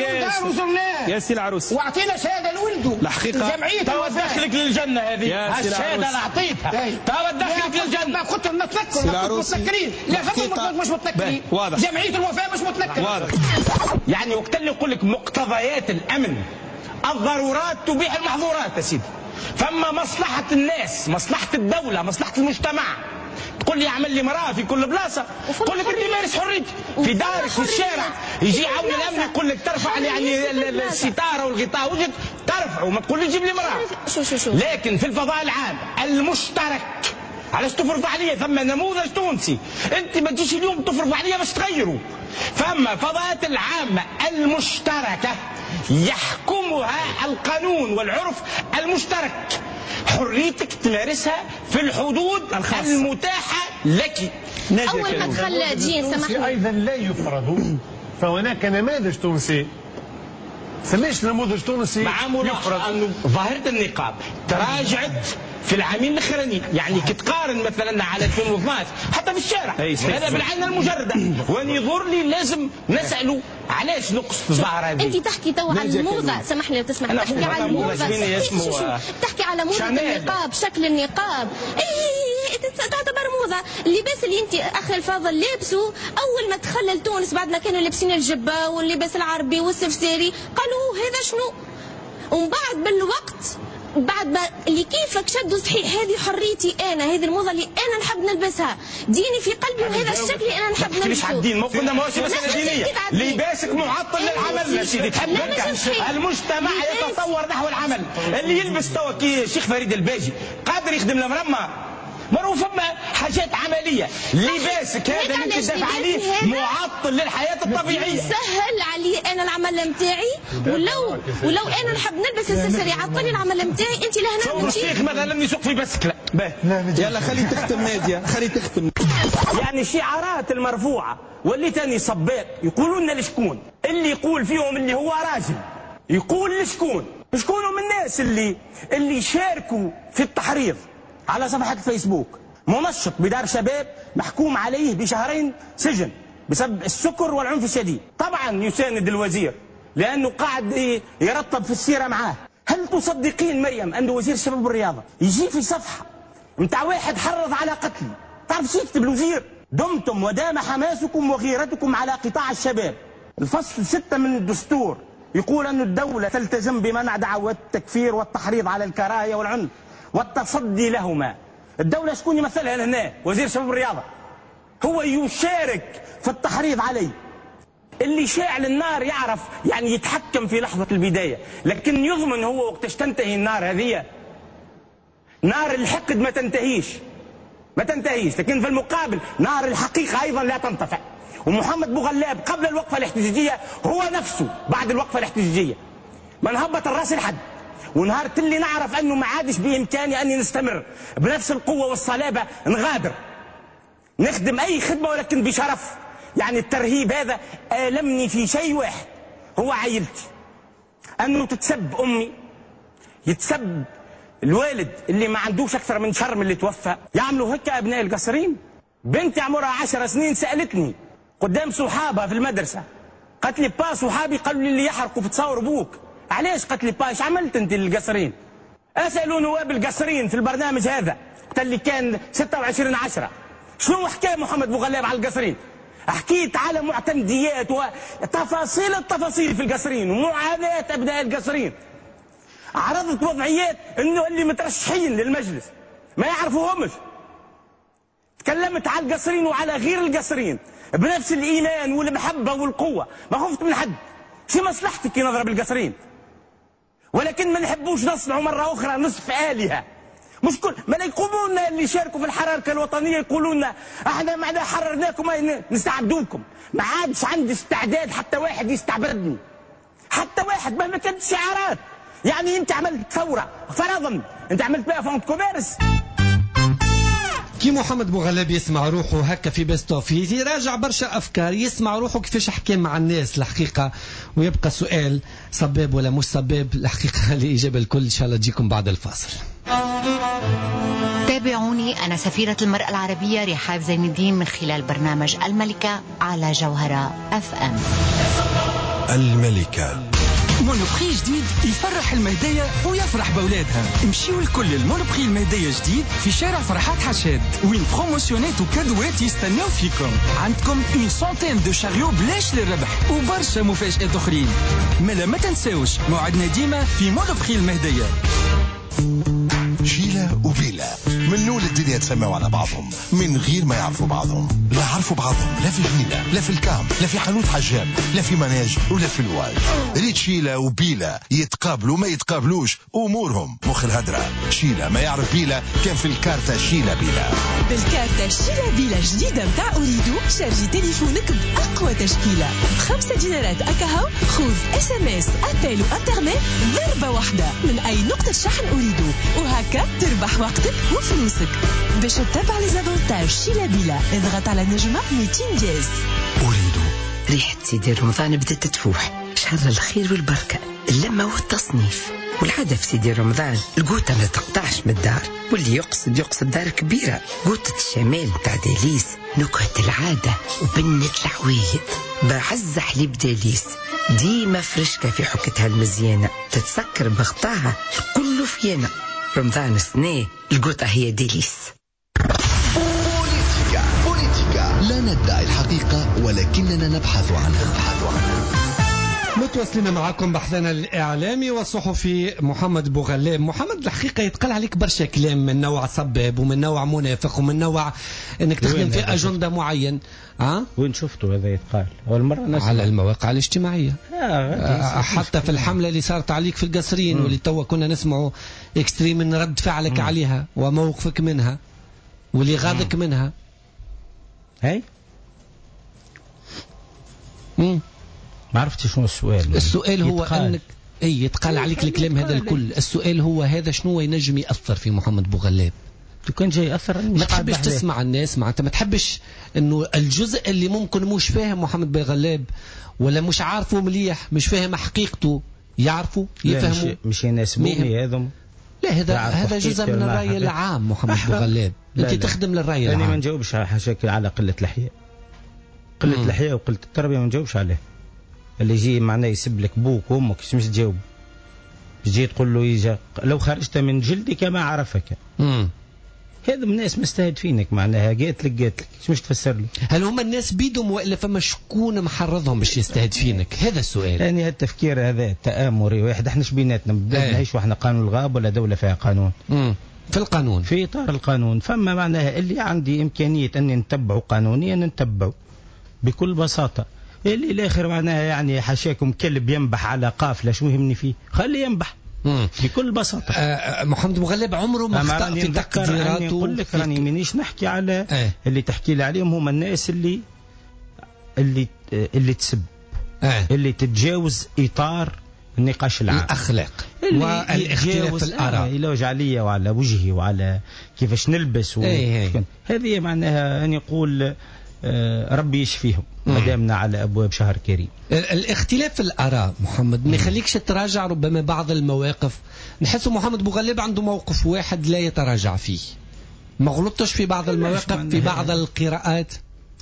يا سي العروسي واعطينا شهادة لولده الحقيقة جمعية توا تدخلك للجنة هذه الشهادة اللي اعطيتها توا تدخلك للجنة. ما كنت نتذكر متنكرين لا فما مش متنكرين جمعية الوفاء مش متنكرين. يعني وقت اللي يقول لك مقتضيات الامن الضرورات تبيح المحظورات يا سيدي، فما مصلحة الناس، مصلحة الدولة، مصلحة المجتمع. تقول لي اعمل لي مراة في كل بلاصة، تقول لك انت مارس حريتك في دارك في الشارع، يجي عون الامن يقول لك ترفع يعني الستارة والغطاء وجهك ترفعه، ما تقول لي جيب لي مراة. لكن في الفضاء العام المشترك علاش تفرض عليا؟ ثم نموذج تونسي، انت ما تجيش اليوم تفرض عليا باش تغيره. فما فضاءات العامة المشتركة يحكمها القانون والعرف المشترك، حريتك تمارسها في الحدود الخاصة المتاحة لك. أول ما دخل دين سامحني أيضا لا يفرض، فهناك نماذج تونسي سميش نموذج تونسي مع ملاحظة أنه ظاهرة النقاب تراجعت في العامين الاخرانيين، يعني كي تقارن مثلا على ألفين واثناش حتى في الشارع هذا بالعين المجردة، وان يضر لي لازم نساله علاش نقص الظاهرة هذه. انت تحكي تو على الموضة، سامحني لو تسمح، تحكي على الموضة، تحكي على موضة النقاب، شكل النقاب، اي تعتبر موضة. اللباس اللي انت اخي الفاضل لابسه اول ما دخل لتونس بعد ما كانوا لابسين الجبة واللباس العربي والسفساري قالوا هذا شنو؟ ومن بعد بالوقت بعد ما اللي كيفك شدوا صحيح، هذه حريتي انا، هذه الموضة اللي انا نحب نلبسها، ديني في قلبي وهذا الشكل اللي انا نحب نلبسه. مش على الدين، ما قلنا ماهوش مسالة دينية، لباسك معطل للعمل يا سيدي، تحب هكا المجتمع يتطور نحو العمل. اللي يلبس توا كي الشيخ فريد الباجي قادر يخدم المرمى، مرة فما حاجات عملية، لباسك هذا اللي انت تدافع عليه معطل للحياة الطبيعية. سهل علي انا العمل نتاعي، ولو ولو انا نحب نلبس السلسلة يعطلني العمل نتاعي، انت لهنا الشيخ مثلا يسوق في بسكلة. يلا خلي تختم نادية، خلي تختم. يعني شعارات المرفوعة واللي تاني صباط يقولوا لنا لشكون؟ اللي يقول فيهم اللي هو راجل يقول لشكون؟ شكون من الناس اللي اللي شاركوا في التحريض على صفحة الفيسبوك؟ منشط بدار شباب محكوم عليه بشهرين سجن بسبب السكر والعنف الشديد، طبعا يساند الوزير لأنه قاعد يرتب في السيرة معاه. هل تصدقين مريم أن وزير الشباب والرياضة يجي في صفحة متاع واحد حرض على قتلي؟ تعرف شو يكتب الوزير؟ دمتم ودام حماسكم وغيرتكم على قطاع الشباب. الفصل ستة من الدستور يقول أن الدولة تلتزم بمنع دعوات التكفير والتحريض على الكراهية والعنف والتصدي لهما. الدولة شكون يمثلها هنا؟ وزير شباب الرياضة هو يشارك في التحريض عليه. اللي شاعل النار يعرف يعني يتحكم في لحظة البداية، لكن يضمن هو وقتاش تنتهي النار هذه. نار الحقد ما تنتهيش، ما تنتهيش، لكن في المقابل نار الحقيقة أيضا لا تنطفئ. ومحمد بوغلاب قبل الوقفة الاحتجاجية هو نفسه بعد الوقفة الاحتجاجية ما نهبط الراس لحد، ونهار اللي نعرف أنه ما عادش بإمكاني أني نستمر بنفس القوة والصلابة نغادر، نخدم أي خدمة ولكن بشرف. يعني الترهيب هذا آلمني في شيء واحد هو عائلتي، أنه تتسب أمي، يتسب الوالد اللي ما عندوش أكثر من شر من اللي توفى. يعملوا هكا أبناء القصرين. بنتي عمرها عشر سنين سألتني قدام صحابها في المدرسة، قالت لي با صحابي قالوا لي اللي يحرقوا في تصاور أبوك. علاش؟ قالت لي با ايش عملت انت للقصرين؟ اسالوا نواب القصرين في البرنامج هذا وقت اللي كان ستة وعشرين عشرة شنو حكى محمد بوغلاب على القصرين؟ حكيت على معتمديات وتفاصيل التفاصيل في القصرين ومعاناة ابناء القصرين. عرضت وضعيات انه اللي مترشحين للمجلس ما يعرفوهمش. تكلمت على القصرين وعلى غير القصرين بنفس الايمان والمحبة والقوه، ما خفت من حد. شي مصلحتك كي نضرب القصرين، ولكن ما نحبوش نصنعوا مرة اخرى نصف الهه. مش كل ما يقوموا لنا اللي شاركوا في الحركة الوطنية يقولوا لنا احنا معنا حررناكم نستعبدوكم. ما عادش عندي استعداد حتى واحد يستعبدني، حتى واحد مهما كانت الشعارات. يعني انت عملت ثورة فرضا، انت عملت بها fonds de commerce. كي محمد بوغلاب يسمع روحه هكا في best of يراجع برشا افكار، يسمع روحه كيفاش حكى مع الناس الحقيقة، ويبقى سؤال صباب ولا مش صباب الحقيقة. الاجابة الكل ان شاء الله تجيكم بعد الفاصل. تابعوني أنا سفيرة المرأة العربية رحاب زين الدين من خلال برنامج الملكة على جوهرة أف أم. الملكة Monoprix جديد يفرح المهدية ويفرح بأولادها. امشيوا الكل ال Monoprix المهدية جديد في شارع فرحات حشاد، وين promotion ات و cadeau ات يستناو فيكم. عندكم une centaine de chariots بلاش للربح وبرشا مفاجآت أخرين. مالا ما تنساوش موعدنا ديما في Monoprix المهدية. شيلة وبيلا من نول الدنيا تسمعوا على بعضهم من غير ما يعرفوا بعضهم. لا عرفوا بعضهم لا في جنينة، لا في الكام، لا في حانوت حجام، لا في manège ولا في الواج. ريت شيلة وبيلا يتقابلوا ما يتقابلوش أمورهم مخ الهدرة. شيلة ما يعرف بيلا كان في الكارتة شيلة بيلا. بالكارتة شيلة بيلا جديدة متاع أوريدو شارجي تليفونك بأقوى تشكيلة بخمسة دينارات أكاهو. خذ SMS appel وانترنت ضربة واحدة من أي نقطة شحن أوريدو، وهكا تربح وقتك وفلوسك. باش تتبع les avantages شيلا بيلا اضغط على نجمة مئتين dièse. أريد ريحة سيدي رمضان بدأت تفوح، شهر الخير والبركة، اللمة والتصنيف والعادة في سيدي رمضان. القوطة ما تقطعش من الدار، واللي يقصد يقصد دار كبيرة. قوطة الشمال متاع داليس، نكهة العادة وبنة العوايد، بعز حليب داليس ديما فرشكة في حكتها المزيانة، تتسكر بغطاها كله فيانا. رمضان السنة القوطة هي ديليس. بوليتيكا بوليتيكا لا ندعي الحقيقة ولكننا نبحث عنها. نبحث عنها. متواصلين معكم بحثنا الإعلامي والصحفي محمد بوغلاب. محمد الحقيقة يتقال عليك برشا كلام من نوع صباب ومن نوع منافق ومن نوع انك تخدم في أجندة معين. أه؟ وين شفته هذا يتقال؟ أول مرة نسمع. على المواقع الاجتماعية. آه حتى في الحملة اللي صارت عليك في القصرين واللي توا كنا نسمعوا extrait من رد فعلك مم. عليها وموقفك منها واللي غاضك منها. هاي؟ مم. ما عرفتش شنو السؤال. السؤال هو انك اي يتقال عليك الكلام هذا الكل، السؤال هو هذا شنو ينجم ياثر في محمد بوغلاب؟ لو كان جاي ياثر ما تحبش تسمع الناس، معناتها ما تحبش انه الجزء اللي ممكن مش فاهم محمد بوغلاب ولا مش عارفه مليح، مش فاهم حقيقته، يعرفوا يفهموا مش يناسبوني هذم. لا هذا هذا جزء من الراي العام محمد بوغلاب، انت تخدم للراي العام. انا ما نجاوبش حاشاك على قلة الحياء. قلة الحياء وقلة التربية ما نجاوبش عليه. اللي يجي معناه يسب لك بوك وامك مش تجاوب، تجي تقول له يجا لو خرجت من جلدك ما عرفك. امم هذا الناس مستهدفينك معناها، قالت لك قالت لك مش تفسر له. هل هما الناس بيدهم والا فما شكون محرضهم باش يستهدفينك؟ هذا السؤال. يعني هالتفكير هذا التآمري واحد، احنا بيناتنا نعيش واحنا قانون الغاب ولا دولة فيها قانون؟ امم في القانون، في اطار القانون. فما معناها اللي عندي امكانية اني نتبعه قانونيا نتبعه بكل بساطة. اللي الاخر معناها يعني حاشاكم كلب ينبح على قافله، شو يهمني فيه؟ خليه ينبح. مم. بكل بساطة. آه محمد بوغلاب عمره ما اخطا في تقديراته. نقول لك راني مانيش نحكي على اه. اللي تحكي لي عليهم هما الناس اللي اللي اللي تسب، اه. اللي تتجاوز اطار النقاش العام، الاخلاق والاختلاف في الاراء، يلوج عليا وعلى وجهي وعلى كيفاش نلبس و... ايه. هذه معناها أن يقول ربي يشفيهم ما دامنا على ابواب شهر كريم. الاختلاف في الاراء محمد ما يخليكش تراجع ربما بعض المواقف. نحس محمد بوغلاب عنده موقف واحد لا يتراجع فيه، ما غلطتش في بعض المواقف، في بعض القراءات،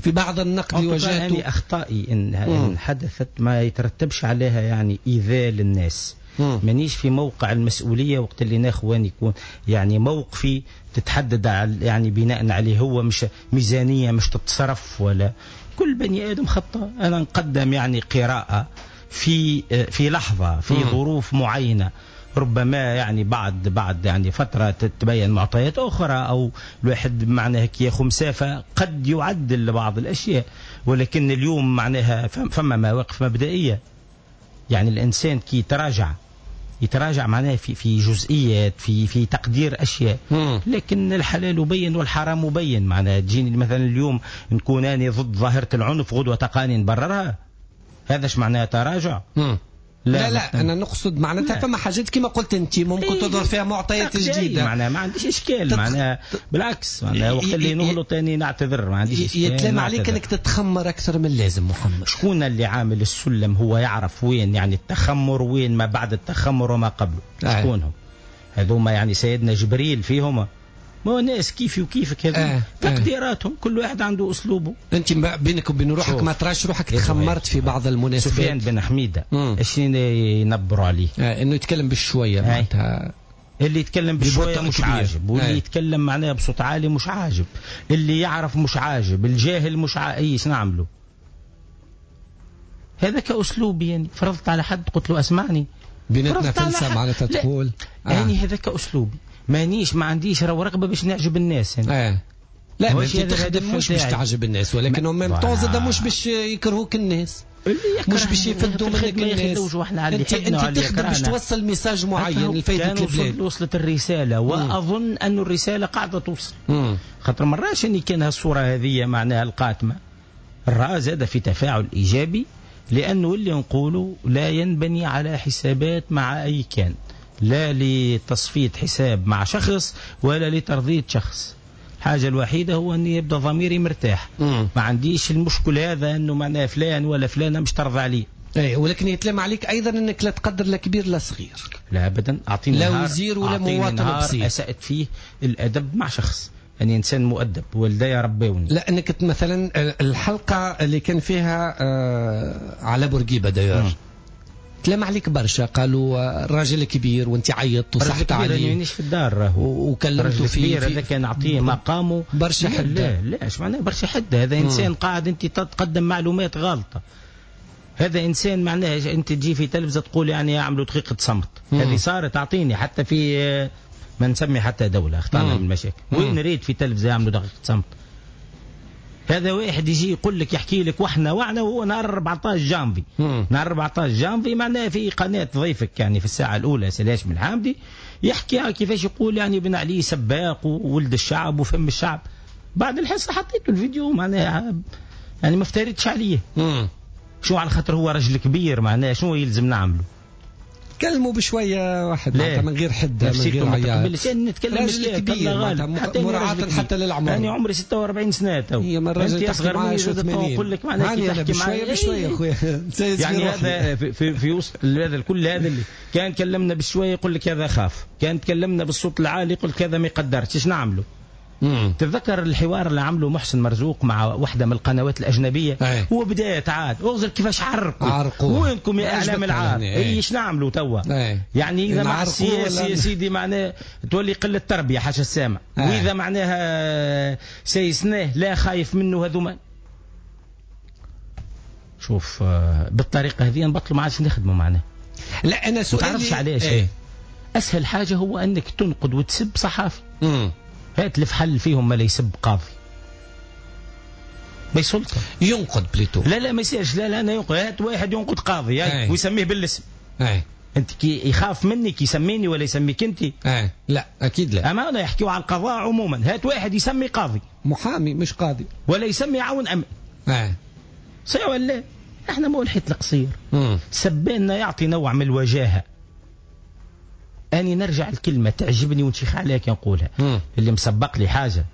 في بعض النقد اللي واجهته. يعني اخطائي ان, إن حدثت ما يترتبش عليها يعني ايذاء للناس. مانيش في موقع المسؤولية وقت اللي ناخوان يكون يعني موقفي تتحدد على يعني بناء عليه هو، مش ميزانية مش تتصرف ولا كل بني آدم خطأ. أنا نقدم يعني قراءة في في لحظة في مم. ظروف معينة، ربما يعني بعد بعد يعني فترة تتبين معطيات أخرى، أو الواحد معناها كي ياخذ مسافة قد يعدل بعض الأشياء، ولكن اليوم معناها فما مواقف مبدئية. يعني الإنسان كي يتراجع يتراجع معناها في في جزئيات، في في تقدير أشياء، لكن الحلال بين والحرام بين. معناها تجيني مثلا اليوم نكون أنا ضد ظاهرة العنف، غدوة تقاني نبررها، هذا اش معناها تراجع؟ مم. لا لا, لا انا نقصد معناتها فما حاجات كما قلت انت ممكن تظهر فيها معطيات جديدة، معناها ما عنديش اشكال، تتخ... معناها بالعكس معناها وقت اللي نغلط ثاني نعتذر، ما عنديش اشكال. يتلام عليك انك تتخمر اكثر من اللازم محمد. شكون اللي عامل السلم هو يعرف وين يعني التخمر، وين ما بعد التخمر وما قبله، شكونهم هذوما؟ يعني سيدنا جبريل فيهم، ما هو ناس كيفي وكيفك هذو آه. تقديراتهم، كل واحد عنده اسلوبه. انت بينك وبين روحك ما تراش روحك تخمرت في بعض المناسبات؟ سفيان بن حميده ايش ينبروا عليه؟ آه انه يتكلم بشوية معناتها، اللي يتكلم بشوية مش عاجب، واللي آه. يتكلم معناها بصوت عالي مش عاجب، اللي يعرف مش عاجب، الجاهل مش عاجب، ايش نعمله؟ هذا كاسلوبي يعني، فرضت على حد قلت له اسمعني بيناتنا فلسه معناتها تقول آه. يعني هذا كاسلوبي، مانيش ما عنديش رغبة باش نعجب الناس يعني. آه. لا ما انت تخدم مش باش تعجب الناس، ولكن en même temps زاد مش باش يكرهوك الناس، مش باش يفدوا منك الناس. انت انت تخدم باش توصل message معين لفائدة البلاد. وصلت الرسالة، واظن ان الرسالة قاعدة توصل، خاطر مراش اني كان هالصورة هذه معناها القاتمه. الرأى زاد في تفاعل ايجابي، لانه اللي نقوله لا ينبني على حسابات مع اي كان، لا لتصفية حساب مع شخص ولا لترضية شخص. الحاجة الوحيدة هو أني يبدأ ضميري مرتاح، مم. ما عنديش المشكل هذا أنه معناه فلان ولا فلانة مش ترضى عليه. أي، ولكن يتلام عليك أيضا أنك لا تقدر لا كبير لا صغير. لا أبدا، أعطيني لا وزير ولا مواطن بسيط. أسأت فيه الأدب مع شخص، أني إنسان مؤدب والدي ربوني. لا أنك مثلا الحلقة اللي كان فيها آه على بورقيبة داير تلام عليك برشا، قالوا الراجل كبير وانت عيطت وصحت عليه. مانيش في الدار راهو وكلمته في هذا كان نعطيه مقامه برشا حده. لا لا اش معناه برشا حده؟ هذا انسان مم. قاعد انت تقدم معلومات غلطه. هذا انسان معناه انت تجي في تلفزه تقول يعني يعملوا دقيقة صمت، هذه صارت اعطيني حتى في ما نسمي حتى دولة اخطانا من المشاكل. وين ريت في تلفزه يعملوا دقيقة صمت؟ هذا واحد يجي يقول لك يحكي لك واحنا وعنا، وهو نهار أربعطاش جانفي، نهار أربعطاش جانفي معناها في قناة ضيفك يعني في الساعة الأولى سي هاشم الحامدي يحكي كيفاش يقول يعني بن علي سباق وولد الشعب وفم الشعب. بعد الحصة حطيته الفيديو معناها يعني ما افتريتش عليه. مم. شو على خاطر هو رجل كبير معناها شنو يلزم نعمله؟ كلموا بشوية واحد معناتها من غير حده من غير عياط. نتكلم راجل كبير مراعاة حتى للعمر. يعني عمري ستة وأربعين سنة تو. هي من الراجل تحكي معاه شو ثمانين. نقول لك معناها كي تحكي معايا بشوية بشوية خويا. يعني هذا في في, في وسط هذا الكل هذا اللي كان كلمنا بشوية يقول لك هذا خاف، كان تكلمنا بالصوت العالي يقول لك هذا ما يقدرش، ايش نعمله؟ تتذكر الحوار اللي عمله محسن مرزوق مع واحدة من القنوات الأجنبية؟ أي. هو بداية عاد اغزر كيفاش عرقوا. عرقوا وينكم يا إعلام العار؟ ايش نعملوا توا؟ يعني إذا مع السياسي يا سيدي معناه تولي قلة تربية حاشا السامع، وإذا معناها سيسناه لا خايف منه هذوما. شوف بالطريقة هذه نبطلوا ما عادش نخدموا معناه. لا أنا سؤالي ما تعرفش علاش. ايه؟ أسهل حاجة هو أنك تنقد وتسب صحافي. مم. هات الفحل فيهم ما لا يسب قاضي ما يسلطه ينقد plutôt. لا لا ما يصيرش. لا لا انا ينقد. هات واحد ينقد قاضي أي. ويسميه بالاسم. أي. انت كي يخاف مني كي يسميني ولا يسميك انت؟ أي. لا اكيد لا. اما انا يحكيوا على القضاء عموما. هات واحد يسمي قاضي محامي مش قاضي ولا يسمي عون امن. أي. صحيح ولا لا؟ احنا مو الحيط القصير. سبينا يعطي نوع من الوجاهة. أني نرجع الكلمة تعجبني ونشيخ عليها كي نقولها. مم. اللي مسبق لي حاجة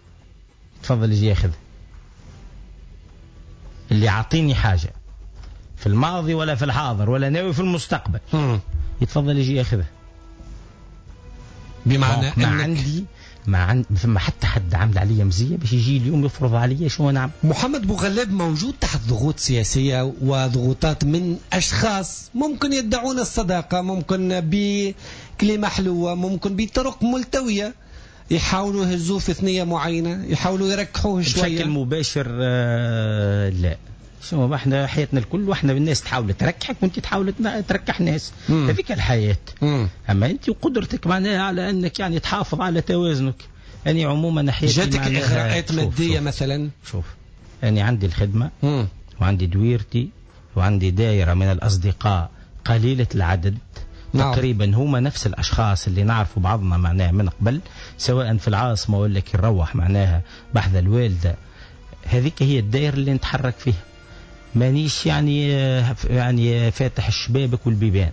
تفضل يجي ياخذ. اللي عطيني حاجة في الماضي ولا في الحاضر ولا ناوي في المستقبل. مم. يتفضل يجي ياخذها. بمعنى ما عندي ما عند فما حتى حد عامل عليا مزية باش يجي اليوم يفرض عليا شو نعمل. محمد بوغلاب موجود تحت ضغوط سياسية وضغوطات من أشخاص ممكن يدعون الصداقة، ممكن بكلمة حلوة، ممكن بطرق ملتوية يحاولوا يهزوه في ثنية معينة، يحاولوا يركحوه شوية بشكل مباشر. آه لا شنو احنا حياتنا الكل واحنا الناس تحاول تركحك وانت تحاول تركح ناس، هذيك الحياة. مم. اما انت وقدرتك معناها على انك يعني تحافظ على توازنك. يعني عموما حياتي جاتك اغراءات مادية مثلا؟ شوف انا عندي الخدمة مم. وعندي دويرتي وعندي دائرة من الاصدقاء قليله العدد. نعم. تقريبا هما نفس الاشخاص اللي نعرفوا بعضنا معناها من قبل، سواء في العاصمة ولا كي نروح معناها بحذا الوالدة. هذيك هي الدائرة اللي نتحرك فيها، مانيش يعني يعني فاتح الشبابك والبيبان.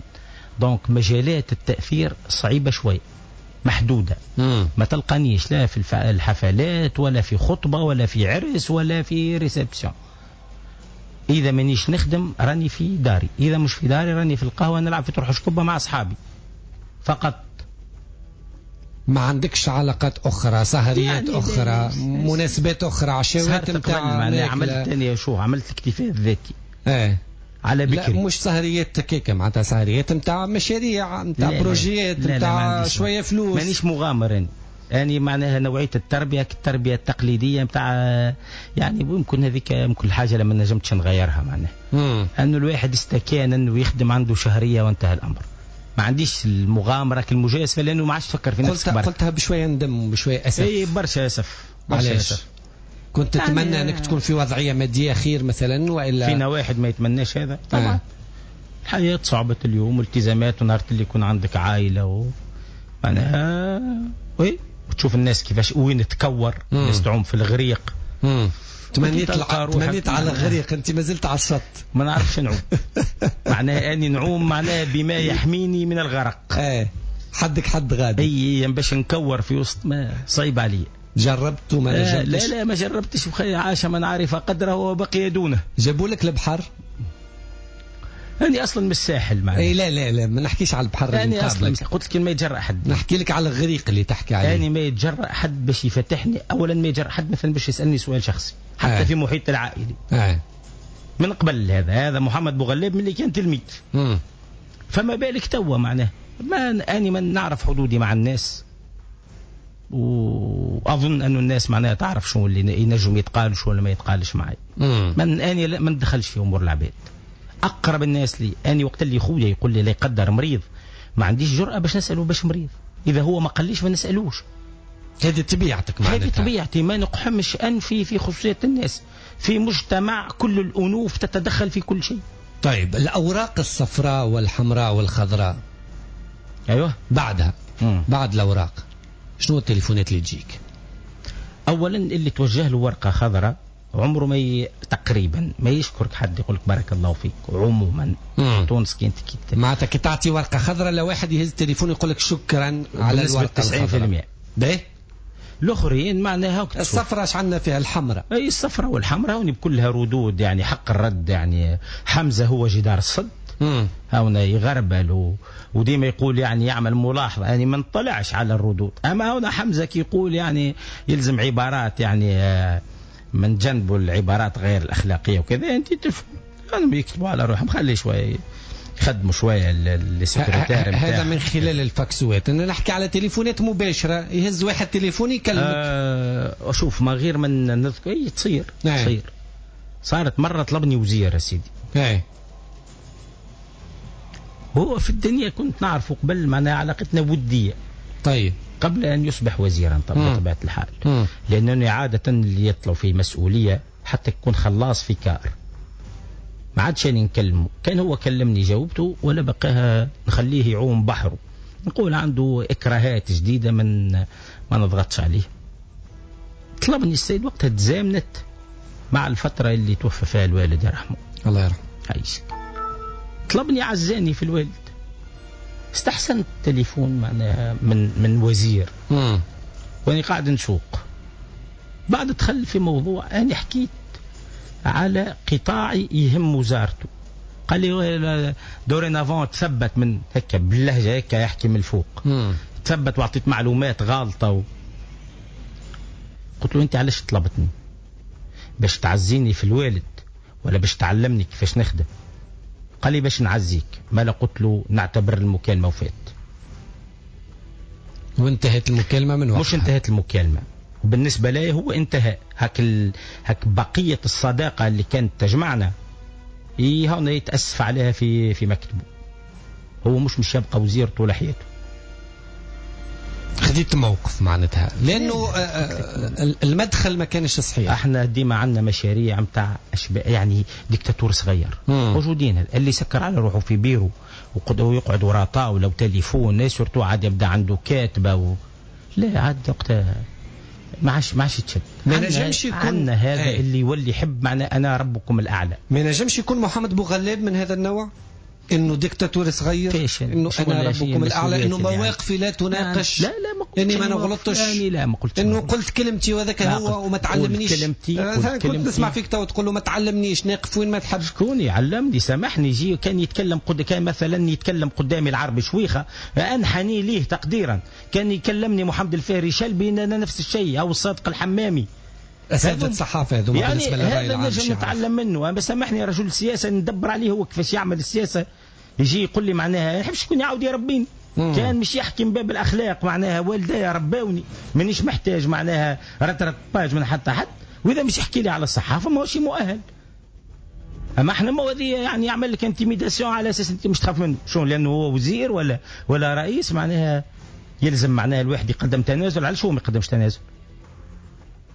donc مجالات التاثير صعيبة شوي، محدودة. مم. ما تلقانيش لا في الحفلات ولا في خطبه ولا في عرس ولا في réception. اذا مانيش نخدم راني في داري، اذا مش في داري راني في القهوة نلعب في طرح شكوبه مع اصحابي فقط. ما عندكش علاقات اخرى، سهريات يعني اخرى، مناسبات اخرى، عشاوات نتاع؟ عملت انا شو عملت الاكتفاء الذاتي. ايه على بكري. لا مش سهريات كيكة، معناتها سهريات نتاع مشاريع، نتاع بروجيات، نتاع شوية فلوس. مانيش مغامر انا، يعني معناها نوعية التربية التربية التقليدية نتاع يعني يمكن هذيك يمكن الحاجة لما نجمتش نغيرها معناها. انه الواحد استكان انه يخدم عنده شهرية وانتهى الامر. ما عنديش المغامرة المجازفة لانه ما عادش تفكر في نفسك. قلت قلتها بشوية ندم وبشويه اسف. اي برشا اسف. برشا اسف. كنت تتمنى يعني انك تكون في وضعية مادية خير مثلا والا؟ فينا واحد ما يتمناش هذا طبعا. آه. الحياة صعبت اليوم والتزامات، ونهار اللي يكون عندك عائلة و معناها oui وتشوف الناس كيفاش وين تكور، الناس تعوم في الغريق. مم. تمنيت تمنيت على الغريق، انت ما زلت على الشط. ما نعرفش نعوم. معناها اني نعوم معناها بما يحميني من الغرق. ايه حدك حد غادي. اي باش نكور في وسط ما صعيب علي. جربت وما نجمتش؟ لا لا ما جربتش. وخي عاش من عرف قدره وبقي دونه. جابوا لك البحر؟ أنا أصلا من الساحل معناها. اي لا لا لا ما نحكيش على البحر. أنا أصلا قلت لك ما يتجرأ حد. نحكي لك على الغريق اللي تحكي عليه. أنا ما يتجرأ حد باش يفتحني، أولا ما يتجرأ حد مثلا باش يسألني سؤال شخصي حتى آه. في محيط العائلي. آه. من قبل هذا هذا محمد بوغلاب من اللي كان تلميذ. مم. فما بالك توا معناه ما أنا ما نعرف حدودي مع الناس، واظن انه الناس معناها تعرف شو اللي ينجم يتقال وشو اللي ما يتقالش معي. من اني ما ندخلش في امور العباد. اقرب الناس لي اني وقت اللي خويا يقول لي لا يقدر مريض، ما عنديش جرأة باش نساله باش مريض. اذا هو ما قاليش ما نسالوش. هذه طبيعتك معناتها؟ هذه طبيعتي، ما نقحمش انفي في خصوصية الناس. في مجتمع كل الانوف تتدخل في كل شيء. طيب الاوراق الصفراء والحمراء والخضراء، ايوه بعدها مم. بعد الاوراق شنو التليفونات اللي تجيك؟ اولا اللي توجه له ورقة خضراء عمره ما ي... تقريبا ما يشكرك حد يقول لك بارك الله فيك. عموما تونس كي انت كي معناتها كي تعطي ورقة خضراء لواحد يهز التليفون يقول لك شكرا على الورقة تسعين بالمئة. باهي الاخرين معناها الصفراء اش عندنا فيها؟ الحمراء. اي الصفراء والحمراء هوني بكلها ردود يعني حق الرد. يعني حمزة هو جدار الصد، هنا يغربل و... وديما يقول يعني يعمل ملاحظة، يعني ما نطلعش على الردود. اما هنا حمزة كي يقول يعني يلزم عبارات يعني من جنبه العبارات غير الاخلاقية وكذا، انت تفهم يعني يكتبوا على روحهم، خلي شوية يخدموا شوية السكرتير. هذا من خلال الفاكسوات. انا نحكي على تليفونات مباشرة، يهز واحد تليفون يكلمك. أه شوف ما غير من نذكر اي تصير تصير. صارت مرة طلبني وزير يا سيدي. اي هو في الدنيا كنت نعرفه قبل، معناها علاقتنا ودية. طيب قبل أن يصبح وزيرا طبعا بطبيعة الحال، لأنه عادة اللي يطلعوا في مسؤولية حتى يكون خلاص في كار ما عادش أنا نكلمه. كان هو كلمني جاوبته ولا بقاها نخليه يعوم بحره، نقول عنده إكراهات جديدة من ما نضغطش عليه. طلبني السيد وقتها تزامنت مع الفترة اللي توفى فيها الوالد يرحمه الله يرحمه. عايشك. طلبني عزاني في الوالد، استحسنت التليفون معناها من من وزير. مم. وأنا قاعد نسوق. بعد دخل في موضوع أنا حكيت على قطاع يهم وزارته. قال لي dorénavant تثبت من هكا باللهجة هكا يحكي من الفوق. مم. تثبت وأعطيت معلومات غالطة و... قلت له أنت علاش طلبتني؟ باش تعزيني في الوالد ولا باش تعلمني كيفاش نخدم؟ قال لي باش نعزيك. ما لا قلت له نعتبر المكالمة وفات. وانتهت المكالمة من وقتها؟ مش انتهت المكالمة، وبالنسبة لي هو انتهى هاك ال... هاك بقية الصداقة اللي كانت تجمعنا هون يتاسف عليها في في مكتبه. هو مش مش يبقى وزير طول حياته. خديت موقف معناتها لانه المدخل ما كانش صحيح. احنا ديما عندنا مشاريع نتاع يعني ديكتاتور صغير مم. موجودين اللي سكر على روحه في بيرو ويقعد وراء طاولة وتليفون، surtout عاد يبدا عنده كاتبه و... لا عاد وقتها ما عادش ما عادش تشد. ما نجمش يكون عندنا هذا ايه. اللي يولي يحب معنا انا ربكم الاعلى. ما نجمش يكون محمد بوغلاب من هذا النوع، انه ديكتاتور صغير، انه انا ربكم الاعلى، انه مواقفي لا تناقش. لا لا ما قلتش اني ما نغلطش، يعني لا ما قلتش انه قلت كلمتي وهذاك هو وما تعلمنيش كلمتي. كنت نسمع فيك تو تقول له ما تعلمنيش، ناقف وين ما تحب. شكون يعلمني؟ سامحني، يجي كان يتكلم قد كان مثلا يتكلم قدامي العربي شويخه انحني ليه تقديرا، كان يكلمني محمد الفهري شلبي انا نفس الشيء، او الصادق الحمامي. اساتذة الصحافة هذوما يعني بالنسبة للراي العام هذا نجم نتعلم منه. انا سامحني رجل سياسة ندبر عليه هو كيفاش يعمل السياسة، يجي يقول لي معناها ما نحبش شكون يعاود يربيني. كان مش يحكي من باب الاخلاق معناها والدي رباوني، مانيش محتاج معناها rattrapage من حتى حد. واذا مش يحكي لي على الصحافة ماهوش مؤهل. اما احنا ما هذه يعني يعمل لك intimidation على اساس انت مش تخاف منه، شو لانه هو وزير ولا ولا رئيس معناها يلزم معناها الواحد يقدم تنازل. على شو ما يقدمش تنازل؟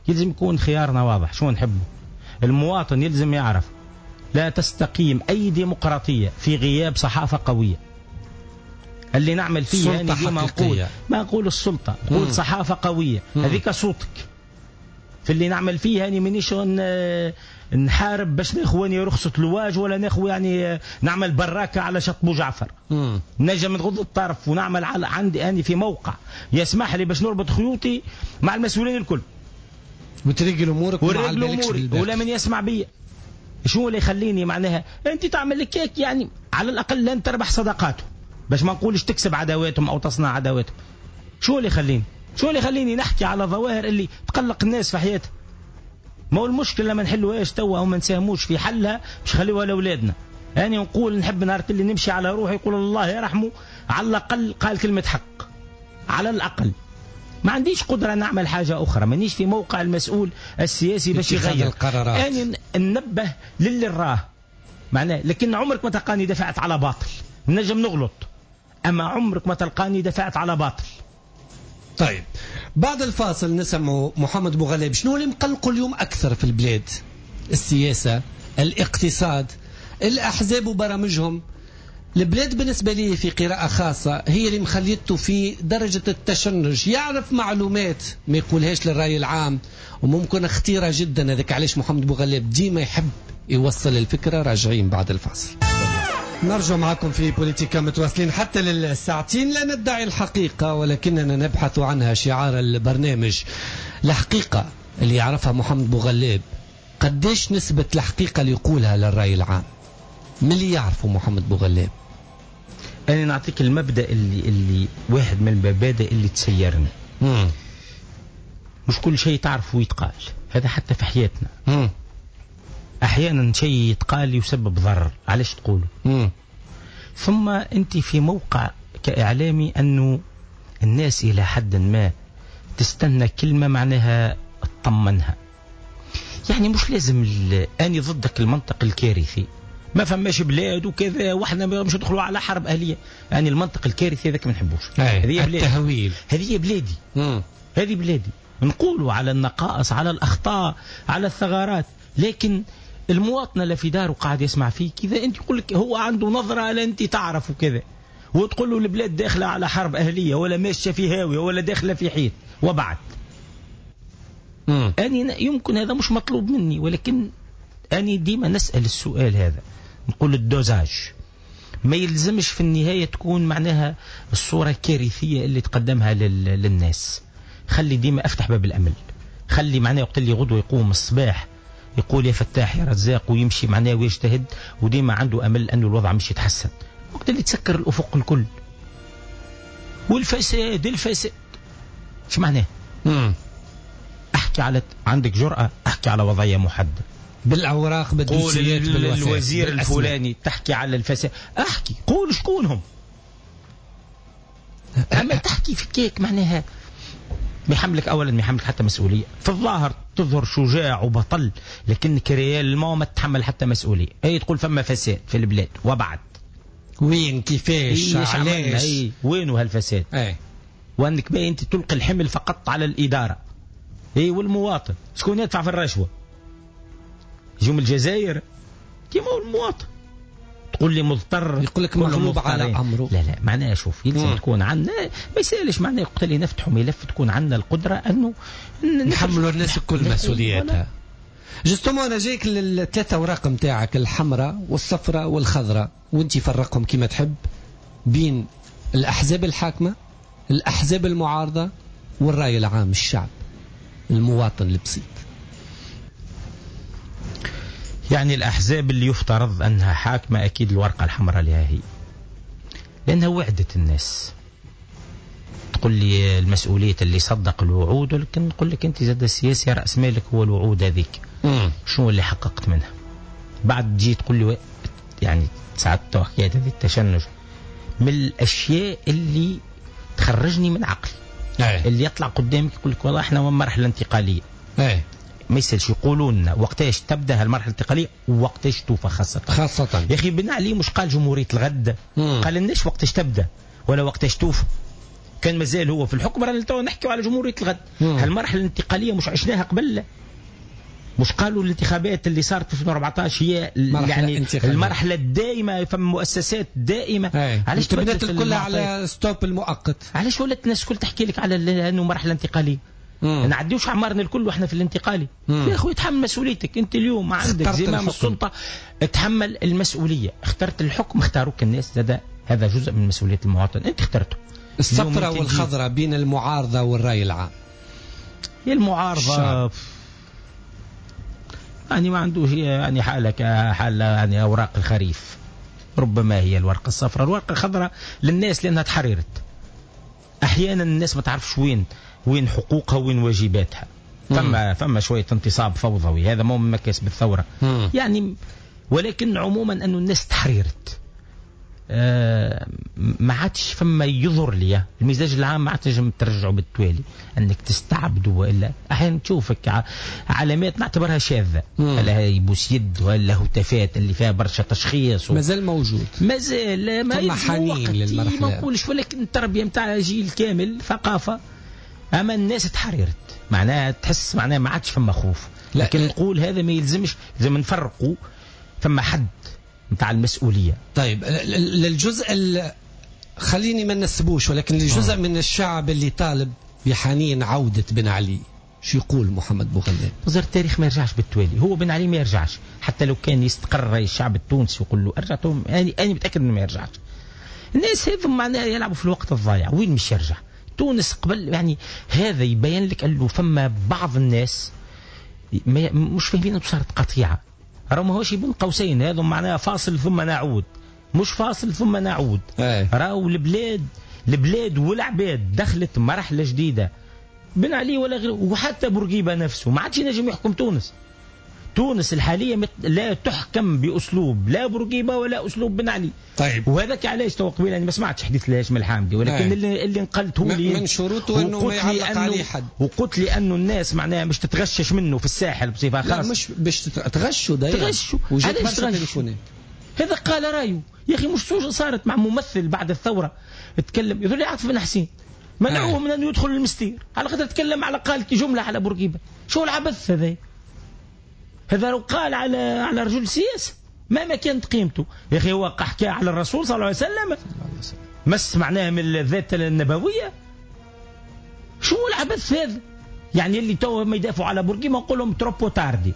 يلزم يكون خيارنا واضح شو نحبه. المواطن يلزم يعرف لا تستقيم أي ديمقراطية في غياب صحافة قوية. اللي نعمل فيه يعني ديما نقول ما نقول السلطة، نقول صحافة قوية، هذيك صوتك. في اللي نعمل فيه يعني مانيش نحارب باش ناخذ رخصة لواج ولا ناخذ يعني نعمل براكة على شط بو جعفر. نجم نغض الطرف ونعمل على عندي أنا في موقع يسمح لي باش نربط خيوطي مع المسؤولين الكل. وترجل امورك وما اموري ولا من يسمع بي. شو اللي يخليني معناها انت تعمل لك هيك؟ يعني على الاقل لن تربح صداقاتهم، باش ما نقولش تكسب عداواتهم او تصنع عداواتهم. شو اللي يخليني؟ شو اللي يخليني نحكي على ظواهر اللي تقلق الناس في حياتها؟ ما هو المشكلة لما نحلوهاش توا وما نساهموش في حلها باش نخليوها لاولادنا. يعني نقول نحب نهار اللي نمشي على روحي يقول الله يرحمه على الاقل قال كلمة حق، على الاقل. ما عنديش قدرة نعمل حاجة أخرى، مانيش في موقع المسؤول السياسي باش يغير القرارات. أنا ننبه للي راه معناه، لكن عمرك ما تلقاني دفعت على باطل. نجم نغلط، أما عمرك ما تلقاني دفعت على باطل. طيب بعد الفاصل نسمع محمد بوغلاب شنو اللي مقلقة اليوم أكثر في البلاد؟ السياسة، الاقتصاد، الأحزاب وبرامجهم. البلاد بالنسبة لي في قراءة خاصة هي اللي مخليته في درجة التشنج، يعرف معلومات ما يقولهاش للرأي العام وممكن خطيرة جدا. هذاك علاش محمد بوغلاب ديما يحب يوصل الفكرة. راجعين بعد الفاصل. نرجع معكم في بوليتيكا متواصلين حتى للساعتين. لا ندعي الحقيقة ولكننا نبحث عنها، شعار البرنامج. الحقيقة اللي يعرفها محمد بوغلاب قديش نسبة الحقيقة اللي يقولها للرأي العام؟ من اللي يعرفه محمد بوغلاب؟ أنا نعطيك المبدأ اللي اللي واحد من المبادئ اللي تسيرني. مم. مش كل شيء تعرفه يتقال، هذا حتى في حياتنا. مم. أحيانا شيء يتقال يسبب ضرر، علاش تقوله؟ مم. ثم أنت في موقع كإعلامي أنه الناس إلى حد ما تستنى كلمة معناها تطمنها. يعني مش لازم أني ضدك المنطق الكارثي، ما فماش بلاد وكذا واحنا مش ندخلوا على حرب اهليه، يعني المنطق الكارثي هذاك ما نحبوش. هذه بلادي، التهويل، هذه بلادي، هذه بلادي. نقولوا على النقائص، على الاخطاء، على الثغرات، لكن المواطن اللي في داره قاعد يسمع فيك اذا انت يقول لك هو عنده نظره لا انت تعرف وكذا، وتقول له البلاد داخله على حرب اهليه ولا ماشية في هاوية ولا داخله في حيط وبعد. أني يمكن هذا مش مطلوب مني، ولكن أني ديما نسأل السؤال هذا، نقول ال dosage ما يلزمش في النهاية تكون معناها الصورة الكارثية اللي تقدمها للناس. خلي ديما أفتح باب الأمل، خلي معناها وقت اللي غدوة يقوم الصباح يقول يا فتاح يا رزاق ويمشي معناه ويجتهد وديما عنده أمل أنه الوضع مش يتحسن. وقت اللي تسكر الأفق الكل والفساد الفساد شو معناه؟ مم. احكي على عندك جرأة، احكي على وضعية محددة بالأوراق بالدوسيات بالوثائق، الوزير الفلاني تحكي على الفساد، احكي قول شكونهم. أما تحكي في كيك معناها ما يحملك اولا، ما يحملك حتى مسؤولية. في الظاهر تظهر شجاع وبطل، لكنك réellement ما تتحمل حتى مسؤولية. اي تقول فما فساد في البلاد، وبعد وين كيفاش علاش وين هالفساد؟ اي وانك باين انت تلقي الحمل فقط على الادارة. اي والمواطن شكون يدفع في الرشوة؟ يجوا من الجزائر كيما هو المواطن. تقول لي مضطر، يقول لك مغلوب على امره. لا لا، معناها شوف يلزم تكون عندنا، ما يسالش معناها وقت اللي نفتحوا ملف تكون عندنا القدرة انه نحملوا الناس كل مسؤولياتها. justement انا جايك للثلاثه اوراق نتاعك، الحمراء والصفراء والخضراء، وانت فرقهم كما تحب بين الاحزاب الحاكمة، الاحزاب المعارضة، والراي العام، الشعب المواطن البسيط. يعني الأحزاب اللي يفترض أنها حاكمة أكيد الورقة الحمراء لها هي، لأنها وعدت الناس. تقول لي المسؤولية اللي صدق الوعود، ولكن نقول لك أنت زاد السياسي رأس مالك هو الوعود هذيك. شنو اللي حققت منها؟ بعد تجي تقول لي يعني ساعات حكاية هذه التشنج من الأشياء اللي تخرجني من عقلي. أي. اللي يطلع قدامك يقول لك والله احنا مرحلة انتقالية. أي. ما يسالش يقولوا لنا وقتاش تبدا هالمرحلة الانتقالية ووقتاش توفى، خاصة خاصة يا اخي بن علي مش قال جمهورية الغد؟ مم. قال لناش وقتاش تبدا ولا وقتاش توفى. كان مازال هو في الحكم رانا تو نحكيو على جمهورية الغد. هالمرحلة الانتقالية مش عشناها قبل؟ مش قالوا الانتخابات اللي صارت في ألفين وأربعطاش هي يعني المرحلة الدائمة، فما مؤسسات دائمة. علاش تبنات الكل على stop المؤقت؟ علاش ولات الناس الكل تحكي لك على انه مرحلة انتقالية؟ نعديوش عمارنا الكل واحنا في الانتقالي. يا اخوي تحمل مسؤوليتك انت اليوم، ما عندك زمام السلطة، تحمل المسؤولية. اخترت الحكم، اختاروك الناس، هذا هذا جزء من مسؤولية المواطن، انت اخترته. الصفراء والخضراء بين المعارضة والراي العام. المعارضة يعني ما عندوش يعني حاله كحاله يعني اوراق الخريف، ربما هي الورقة الصفراء. الورقة الخضراء للناس لانها تحررت. احيانا الناس ما تعرفش وين وين حقوقها وين واجباتها. فما فما شوية انتصاب فوضوي، هذا مو من مكاسب الثورة. مم. يعني ولكن عموما انه الناس تحررت، آه ما عادش فما يظهر لي المزاج العام، ما عادش تنجم ترجعه بالتوالي انك تستعبده. والا احيانا تشوفك علامات نعتبرها شاذة، ولا يبوس يد ولا هتافات اللي فيها برشا تشخيص و... مازال موجود، مازال ما حنين للمرحلة ما نقولش، ولكن التربية نتاع جيل كامل ثقافة. اما الناس تحررت، معناها تحس معناها ما عادش فما خوف. لكن نقول هذا ما يلزمش، لازم نفرقوا، فما حد نتاع المسؤولية. طيب للجزء خليني ما نسبوش، ولكن للجزء من الشعب اللي طالب بحنين عودة بن علي، شو يقول محمد بوغلاب؟ وزير التاريخ ما يرجعش بالتوالي، هو بن علي ما يرجعش حتى لو كان يستقر الشعب التونسي ويقول له ارجع، يعني انا متأكد انه ما يرجعش. الناس هذم معناها يلعبوا في الوقت الضايع، وين مش يرجع؟ تونس قبل يعني هذا يبين لك انه فما بعض الناس مش فاهمين انه صارت قطيعة، راه ماهوش بين قوسين، هذا معناها فاصل ثم نعود، مش فاصل ثم نعود. راهو البلاد البلاد والعباد دخلت مرحلة جديدة، بن علي ولا غيره، وحتى بورقيبة نفسه ما عادش ينجم يحكم تونس. تونس الحالية لا تحكم بأسلوب لا بورقيبة ولا أسلوب بن علي. طيب وهذاك علاش تو قبيلة أنا ما سمعتش حديث الهاشم الحامدي، ولكن اللي, اللي نقلته لي من شروطه أنه ما يعلق عليه حد، وقلت لي أنه الناس معناها مش تتغشش منه في الساحل بصفة خاصة. لا مش باش تغشوا دايما تغشوا. علاش تغشوا؟ هذا قال رايه يا أخي، مش صارت مع ممثل بعد الثورة تكلم يقول لي عاطف بن حسين منعوه من أن يدخل المستير على خاطر تكلم على قال جملة على بورقيبة. شو العبث هذا؟ هذا لو قال على على رجل سياسة مهما كانت قيمته يا اخي، هو حكى على الرسول صلى الله عليه وسلم، مس معناها من الذات النبوية. شو العبث هذا؟ يعني اللي تو ما يدافعوا على بورقيبة نقول لهم trop tardé.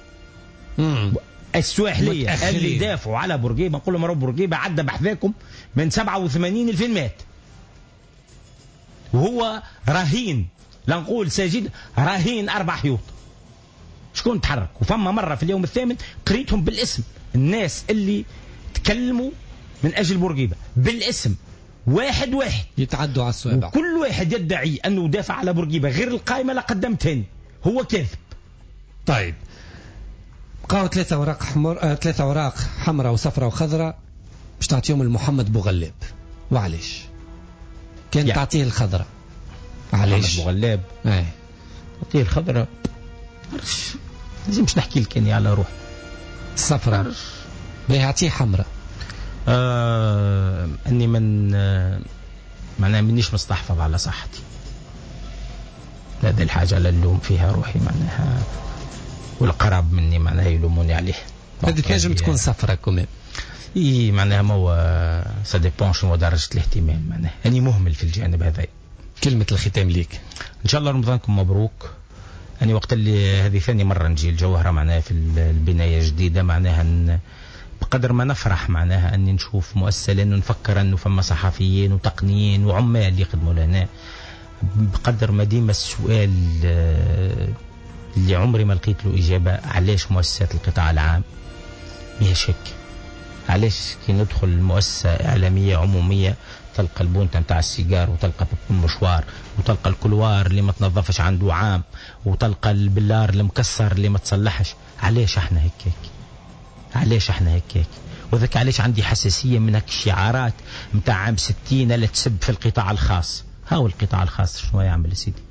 السواحليه اللي دافعوا على بورقيبة نقول لهم بورقيبة عدى بحذاكم من سبعة وثمانين ألفين مات، وهو رهين، لا نقول ساجد، رهين اربع حيوط. شكون تحرك؟ وفما مرة في اليوم الثامن قريتهم بالاسم، الناس اللي تكلموا من أجل بورقيبة بالاسم واحد واحد يتعدوا على الصوابع، كل واحد يدعي أنه دافع على بورقيبة غير القائمة لا قدمتهن هو كاذب. طيب بقاو ثلاثة أوراق حمر، آه، ثلاثة أوراق حمراء وصفراء وخضراء باش تعطيهم لمحمد بوغلاب. وعلاش؟ كان يعني تعطيه الخضراء علاش؟ بوغلاب ايه نعطيه الخضراء. لازمش نحكي لك اني على روحي. الصفراء باهي اعطيه حمراء. آه اني من آه معناها مانيش مستحفظ على صحتي. هذه الحاجة اللي نلوم فيها روحي معناها، والقراب مني معناها يلوموني عليه. هذه تنجم تكون صفراء quand même. اي معناها ما هو ça dépend شنو درجة الاهتمام، معناها اني مهمل في الجانب هذا. كلمة الختام ليك. ان شاء الله رمضانكم مبروك. أنا وقت اللي هذه ثاني مرة نجي الجوهرة معناها في البناية الجديدة، معناها بقدر ما نفرح معناها أني نشوف مؤسسة، لأنه نفكر أنه فما صحفيين وتقنيين وعمال يخدموا لهنا، بقدر ما ديما السؤال اللي عمري ما لقيت له إجابة، علاش مؤسسات القطاع العام؟ بلا شك علاش كي ندخل مؤسسة إعلامية عمومية تلقى البونتة نتاع السيجار، وتلقى المشوار، وتلقى ال couloir اللي ما تنظفش عنده عام، وتلقى البلار المكسر اللي ما تصلحش. علاش احنا هيك هيك؟ علاش احنا هيك هيك؟ وذاك علاش عندي حساسية من هيك الشعارات نتاع عام ستين لا تسب في القطاع الخاص. هاو القطاع الخاص شنو يعمل يا سيدي؟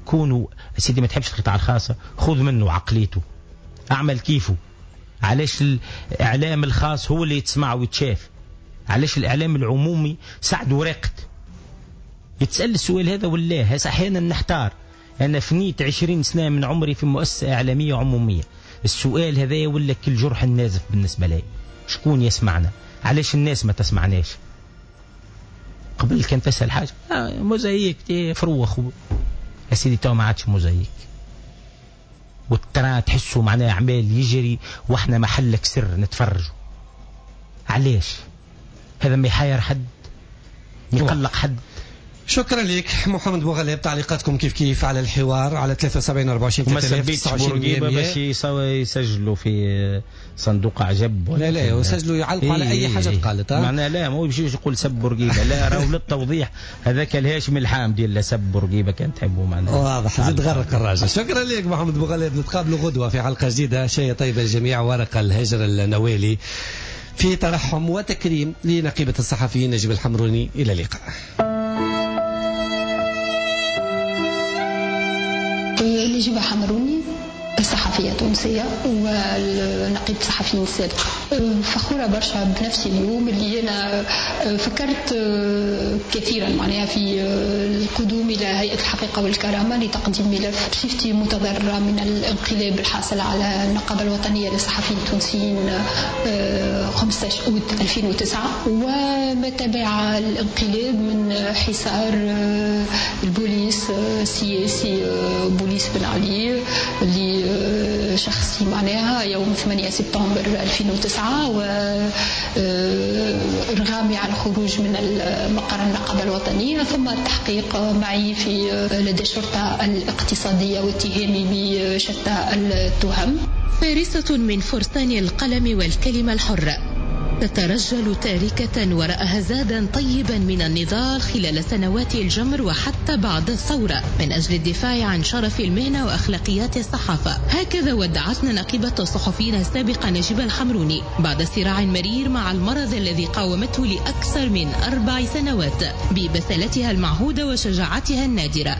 كونوا يا سيدي ما تحبش القطاع الخاص، خذ منه عقليته، اعمل كيفه. علاش الإعلام الخاص هو اللي يتسمع ويتشاف؟ علاش الإعلام العمومي سعد وراقد؟ يتسأل السؤال هذا ولا أحيانا نحتار. أنا فنيت عشرين سنة من عمري في مؤسسة إعلامية عمومية، السؤال هذا ولا كل جرح النازف بالنسبة لي. شكون يسمعنا؟ علاش الناس ما تسمعناش؟ قبل كان تسأل حاجة آه موزايك فروخ يا سيدي، تو ما عادش موزايك، وال train تحسوا معناه عمال يجري واحنا محلك سر نتفرجوا. علاش هذا؟ ما يحير حد، ما يقلق حد. شكرا لك محمد بوغلاب. تعليقاتكم كيف كيف على الحوار على ثلاثة وسبعين أربعة وعشرين ثلاثة آلاف تسعة وعشرين باش يسجلوا في صندوق عجب ولا لا لا يسجلوا يعلقوا على اي حاجة تقالت. معناها لا ما يمشيش يقول سب بورقيبة، لا راهو للتوضيح هذاك الهاشم الحامدي اللي سب بورقيبة كان تحبوا معناها واضح زيد غرق الراجل. شكرا لك محمد بوغلاب. نتقابلوا غدوه في حلقة جديدة. شيء طيب الجميع. ورقة الهجر النوالي في ترحم وتكريم لنقيبه الصحفيين نجيب الحمروني. الى اللقاء. نجيبة حمروني صحفية تونسية ونقيب صحفيين السابق. فخورة برشا بنفسي اليوم اللي أنا فكرت كثيرا معناها في القدوم إلى هيئة الحقيقة والكرامة لتقديم ملف بصفتي متضررة من الانقلاب الحاصل على النقابة الوطنية للصحفيين التونسيين خمسة عشر أوت ألفين وتسعة، وما تبع الانقلاب من حصار البوليس السياسي بوليس بن علي اللي شخصي معناها يوم ثمانية سبتمبر ألفين وتسعة، وإرغامي على الخروج من مقر النقابة الوطنية، ثم التحقيق معي في لدى الشرطة الاقتصادية واتهامي بشتى التهم. فارسة من فرسان القلم والكلمة الحرة، تترجل تاركة وراءها زادا طيبا من النضال خلال سنوات الجمر وحتى بعد الثورة من أجل الدفاع عن شرف المهنة وأخلاقيات الصحافة. هكذا ودعتنا نقيبة الصحفيين السابقة نجيبة الحمروني بعد صراع مرير مع المرض الذي قاومته لأكثر من أربع سنوات ببسالتها المعهودة وشجاعتها النادرة.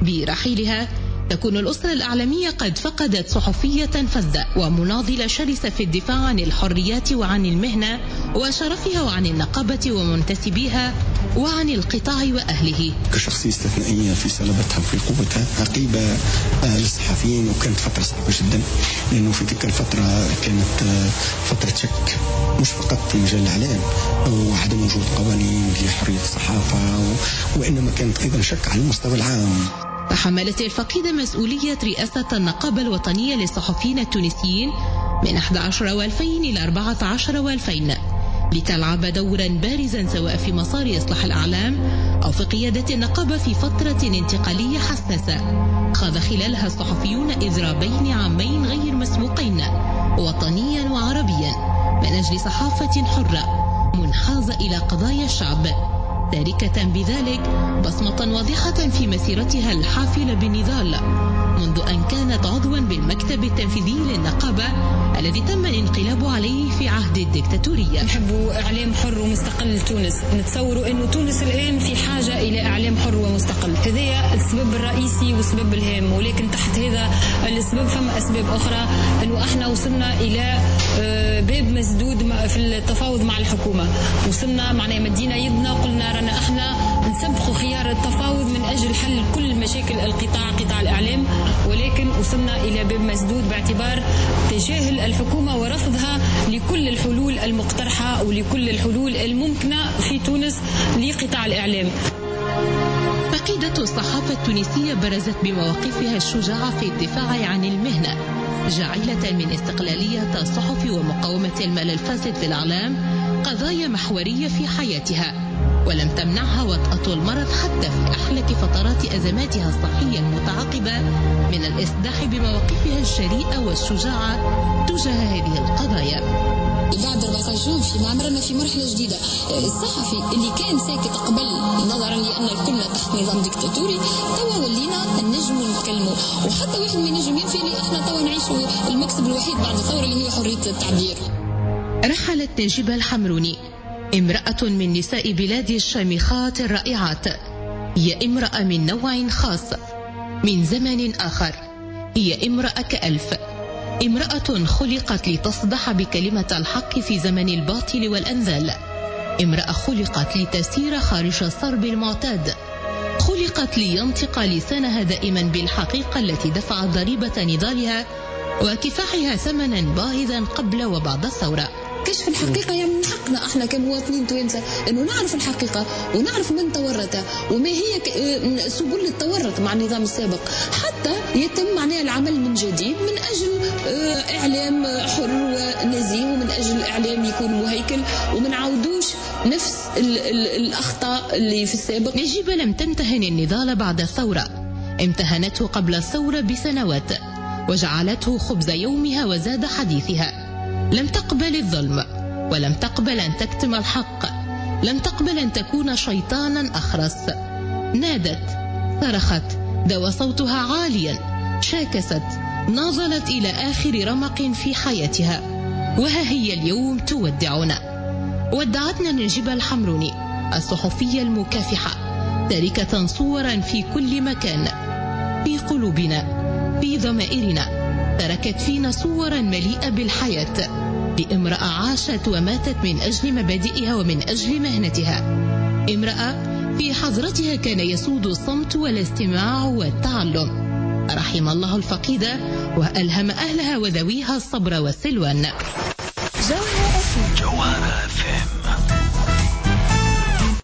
برحيلها تكون الأسرة الإعلامية قد فقدت صحفية فذة ومناضلة شرسة في الدفاع عن الحريات وعن المهنة وشرفها وعن النقابة ومنتسبيها وعن القطاع وأهله. كشخصية استثنائية في صلابتها وفي قوتها، نقيبة للصحفيين، وكانت فترة صعبة جدا لأنه في تلك الفترة كانت فترة شك مش فقط في مجال الإعلام وعدم وجود قوانين لحرية الصحافة، وإنما كانت أيضا شك على المستوى العام. تحملت الفقيدة مسؤولية رئاسة النقابة الوطنية للصحفيين التونسيين من أحد عشر وألفين إلى أربعة عشر وألفين لتلعب دورا بارزا سواء في مسار إصلاح الأعلام أو في قيادة النقابة في فترة انتقالية حساسة خاض خلالها الصحفيون إضرابين عامين غير مسبوقين وطنيا وعربيا من أجل صحافة حرة منحازة إلى قضايا الشعب، تاركة بذلك بصمة واضحة في مسيرتها الحافلة بالنضال منذ أن كانت عضوا بالمكتب التنفيذي للنقابة الذي تم الانقلاب عليه في عهد الدكتاتورية. نحب إعلام حر ومستقل لتونس، نتصوروا أن تونس الآن في حاجة إلى إعلام حر ومستقل. هذا السبب الرئيسي والسبب الهام، ولكن تحت هذا السبب فما أسباب أخرى، أنه احنا وصلنا إلى باب مسدود في التفاوض مع الحكومة. وصلنا معناها مدينا يدنا وقلنا رانا احنا نسبقوا خيار التفاوض من أجل حل كل مشاكل القطاع، قطاع الإعلام، ولكن وصلنا إلى باب مسدود باعتبار تجاهل الحكومة ورفضها لكل الحلول المقترحة ولكل الحلول الممكنة في تونس لقطاع الإعلام. فقيدة الصحافة التونسية برزت بمواقفها الشجاعة في الدفاع عن المهنة، جاعلة من استقلالية الصحف ومقاومة المال الفاسد في الإعلام قضايا محورية في حياتها، ولم تمنعها وطأة المرض حتى في أحلك فترات أزماتها الصحية المتعاقبة من الإصداح بمواقفها الجريئة والشجاعة تجاه هذه القضايا. بعد أربعة عشر جانفي ما عمرنا في مرحلة جديدة. الصحفي اللي كان ساكت قبل نظرا لأن كنا تحت نظام ديكتاتوري، توا ولينا نجموا نتكلموا، وحتى واحد ما ينجم ينفي اللي احنا توا نعيشوا المكسب الوحيد بعد الثورة اللي هي حرية التعبير. رحلت نجيبة الحمروني، امرأة من نساء بلادي الشامخات الرائعات، هي امرأة من نوع خاص، من زمن آخر، هي امرأة كألف، امرأة خلقت لتصدح بكلمة الحق في زمن الباطل والأنذال، امرأة خلقت لتسير خارج الصرب المعتاد، خلقت لينطق لسانها دائما بالحقيقة التي دفعت ضريبة نضالها وكفاحها ثمنا باهظا قبل وبعد الثورة. كشف الحقيقة يعني من حقنا احنا كمواطنين توانسة انه نعرف الحقيقة ونعرف من تورط وما هي سبل التورط مع النظام السابق، حتى يتم معناها العمل من جديد من اجل اعلام حر ونزيه، ومن اجل اعلام يكون مهيكل، وما نعاودوش نفس ال ال الاخطاء اللي في السابق. نجيبة لم تمتهن النضال بعد الثورة، امتهنته قبل الثورة بسنوات وجعلته خبز يومها وزاد حديثها. لم تقبل الظلم، ولم تقبل أن تكتم الحق، لم تقبل أن تكون شيطانا أخرس. نادت، صرخت، دوى صوتها عاليا، شاكست، ناضلت إلى آخر رمق في حياتها، وها هي اليوم تودعنا. ودعتنا نجيبة الحمروني الصحفية المكافحة، تاركة صورا في كل مكان، في قلوبنا، في ضمائرنا، تركت فينا صورا مليئة بالحياة لامرأة عاشت وماتت من أجل مبادئها ومن أجل مهنتها، امرأة في حضرتها كان يسود الصمت والاستماع والتعلم. رحم الله الفقيدة وألهم أهلها وذويها الصبر والسلوان. جوهرة أف أم.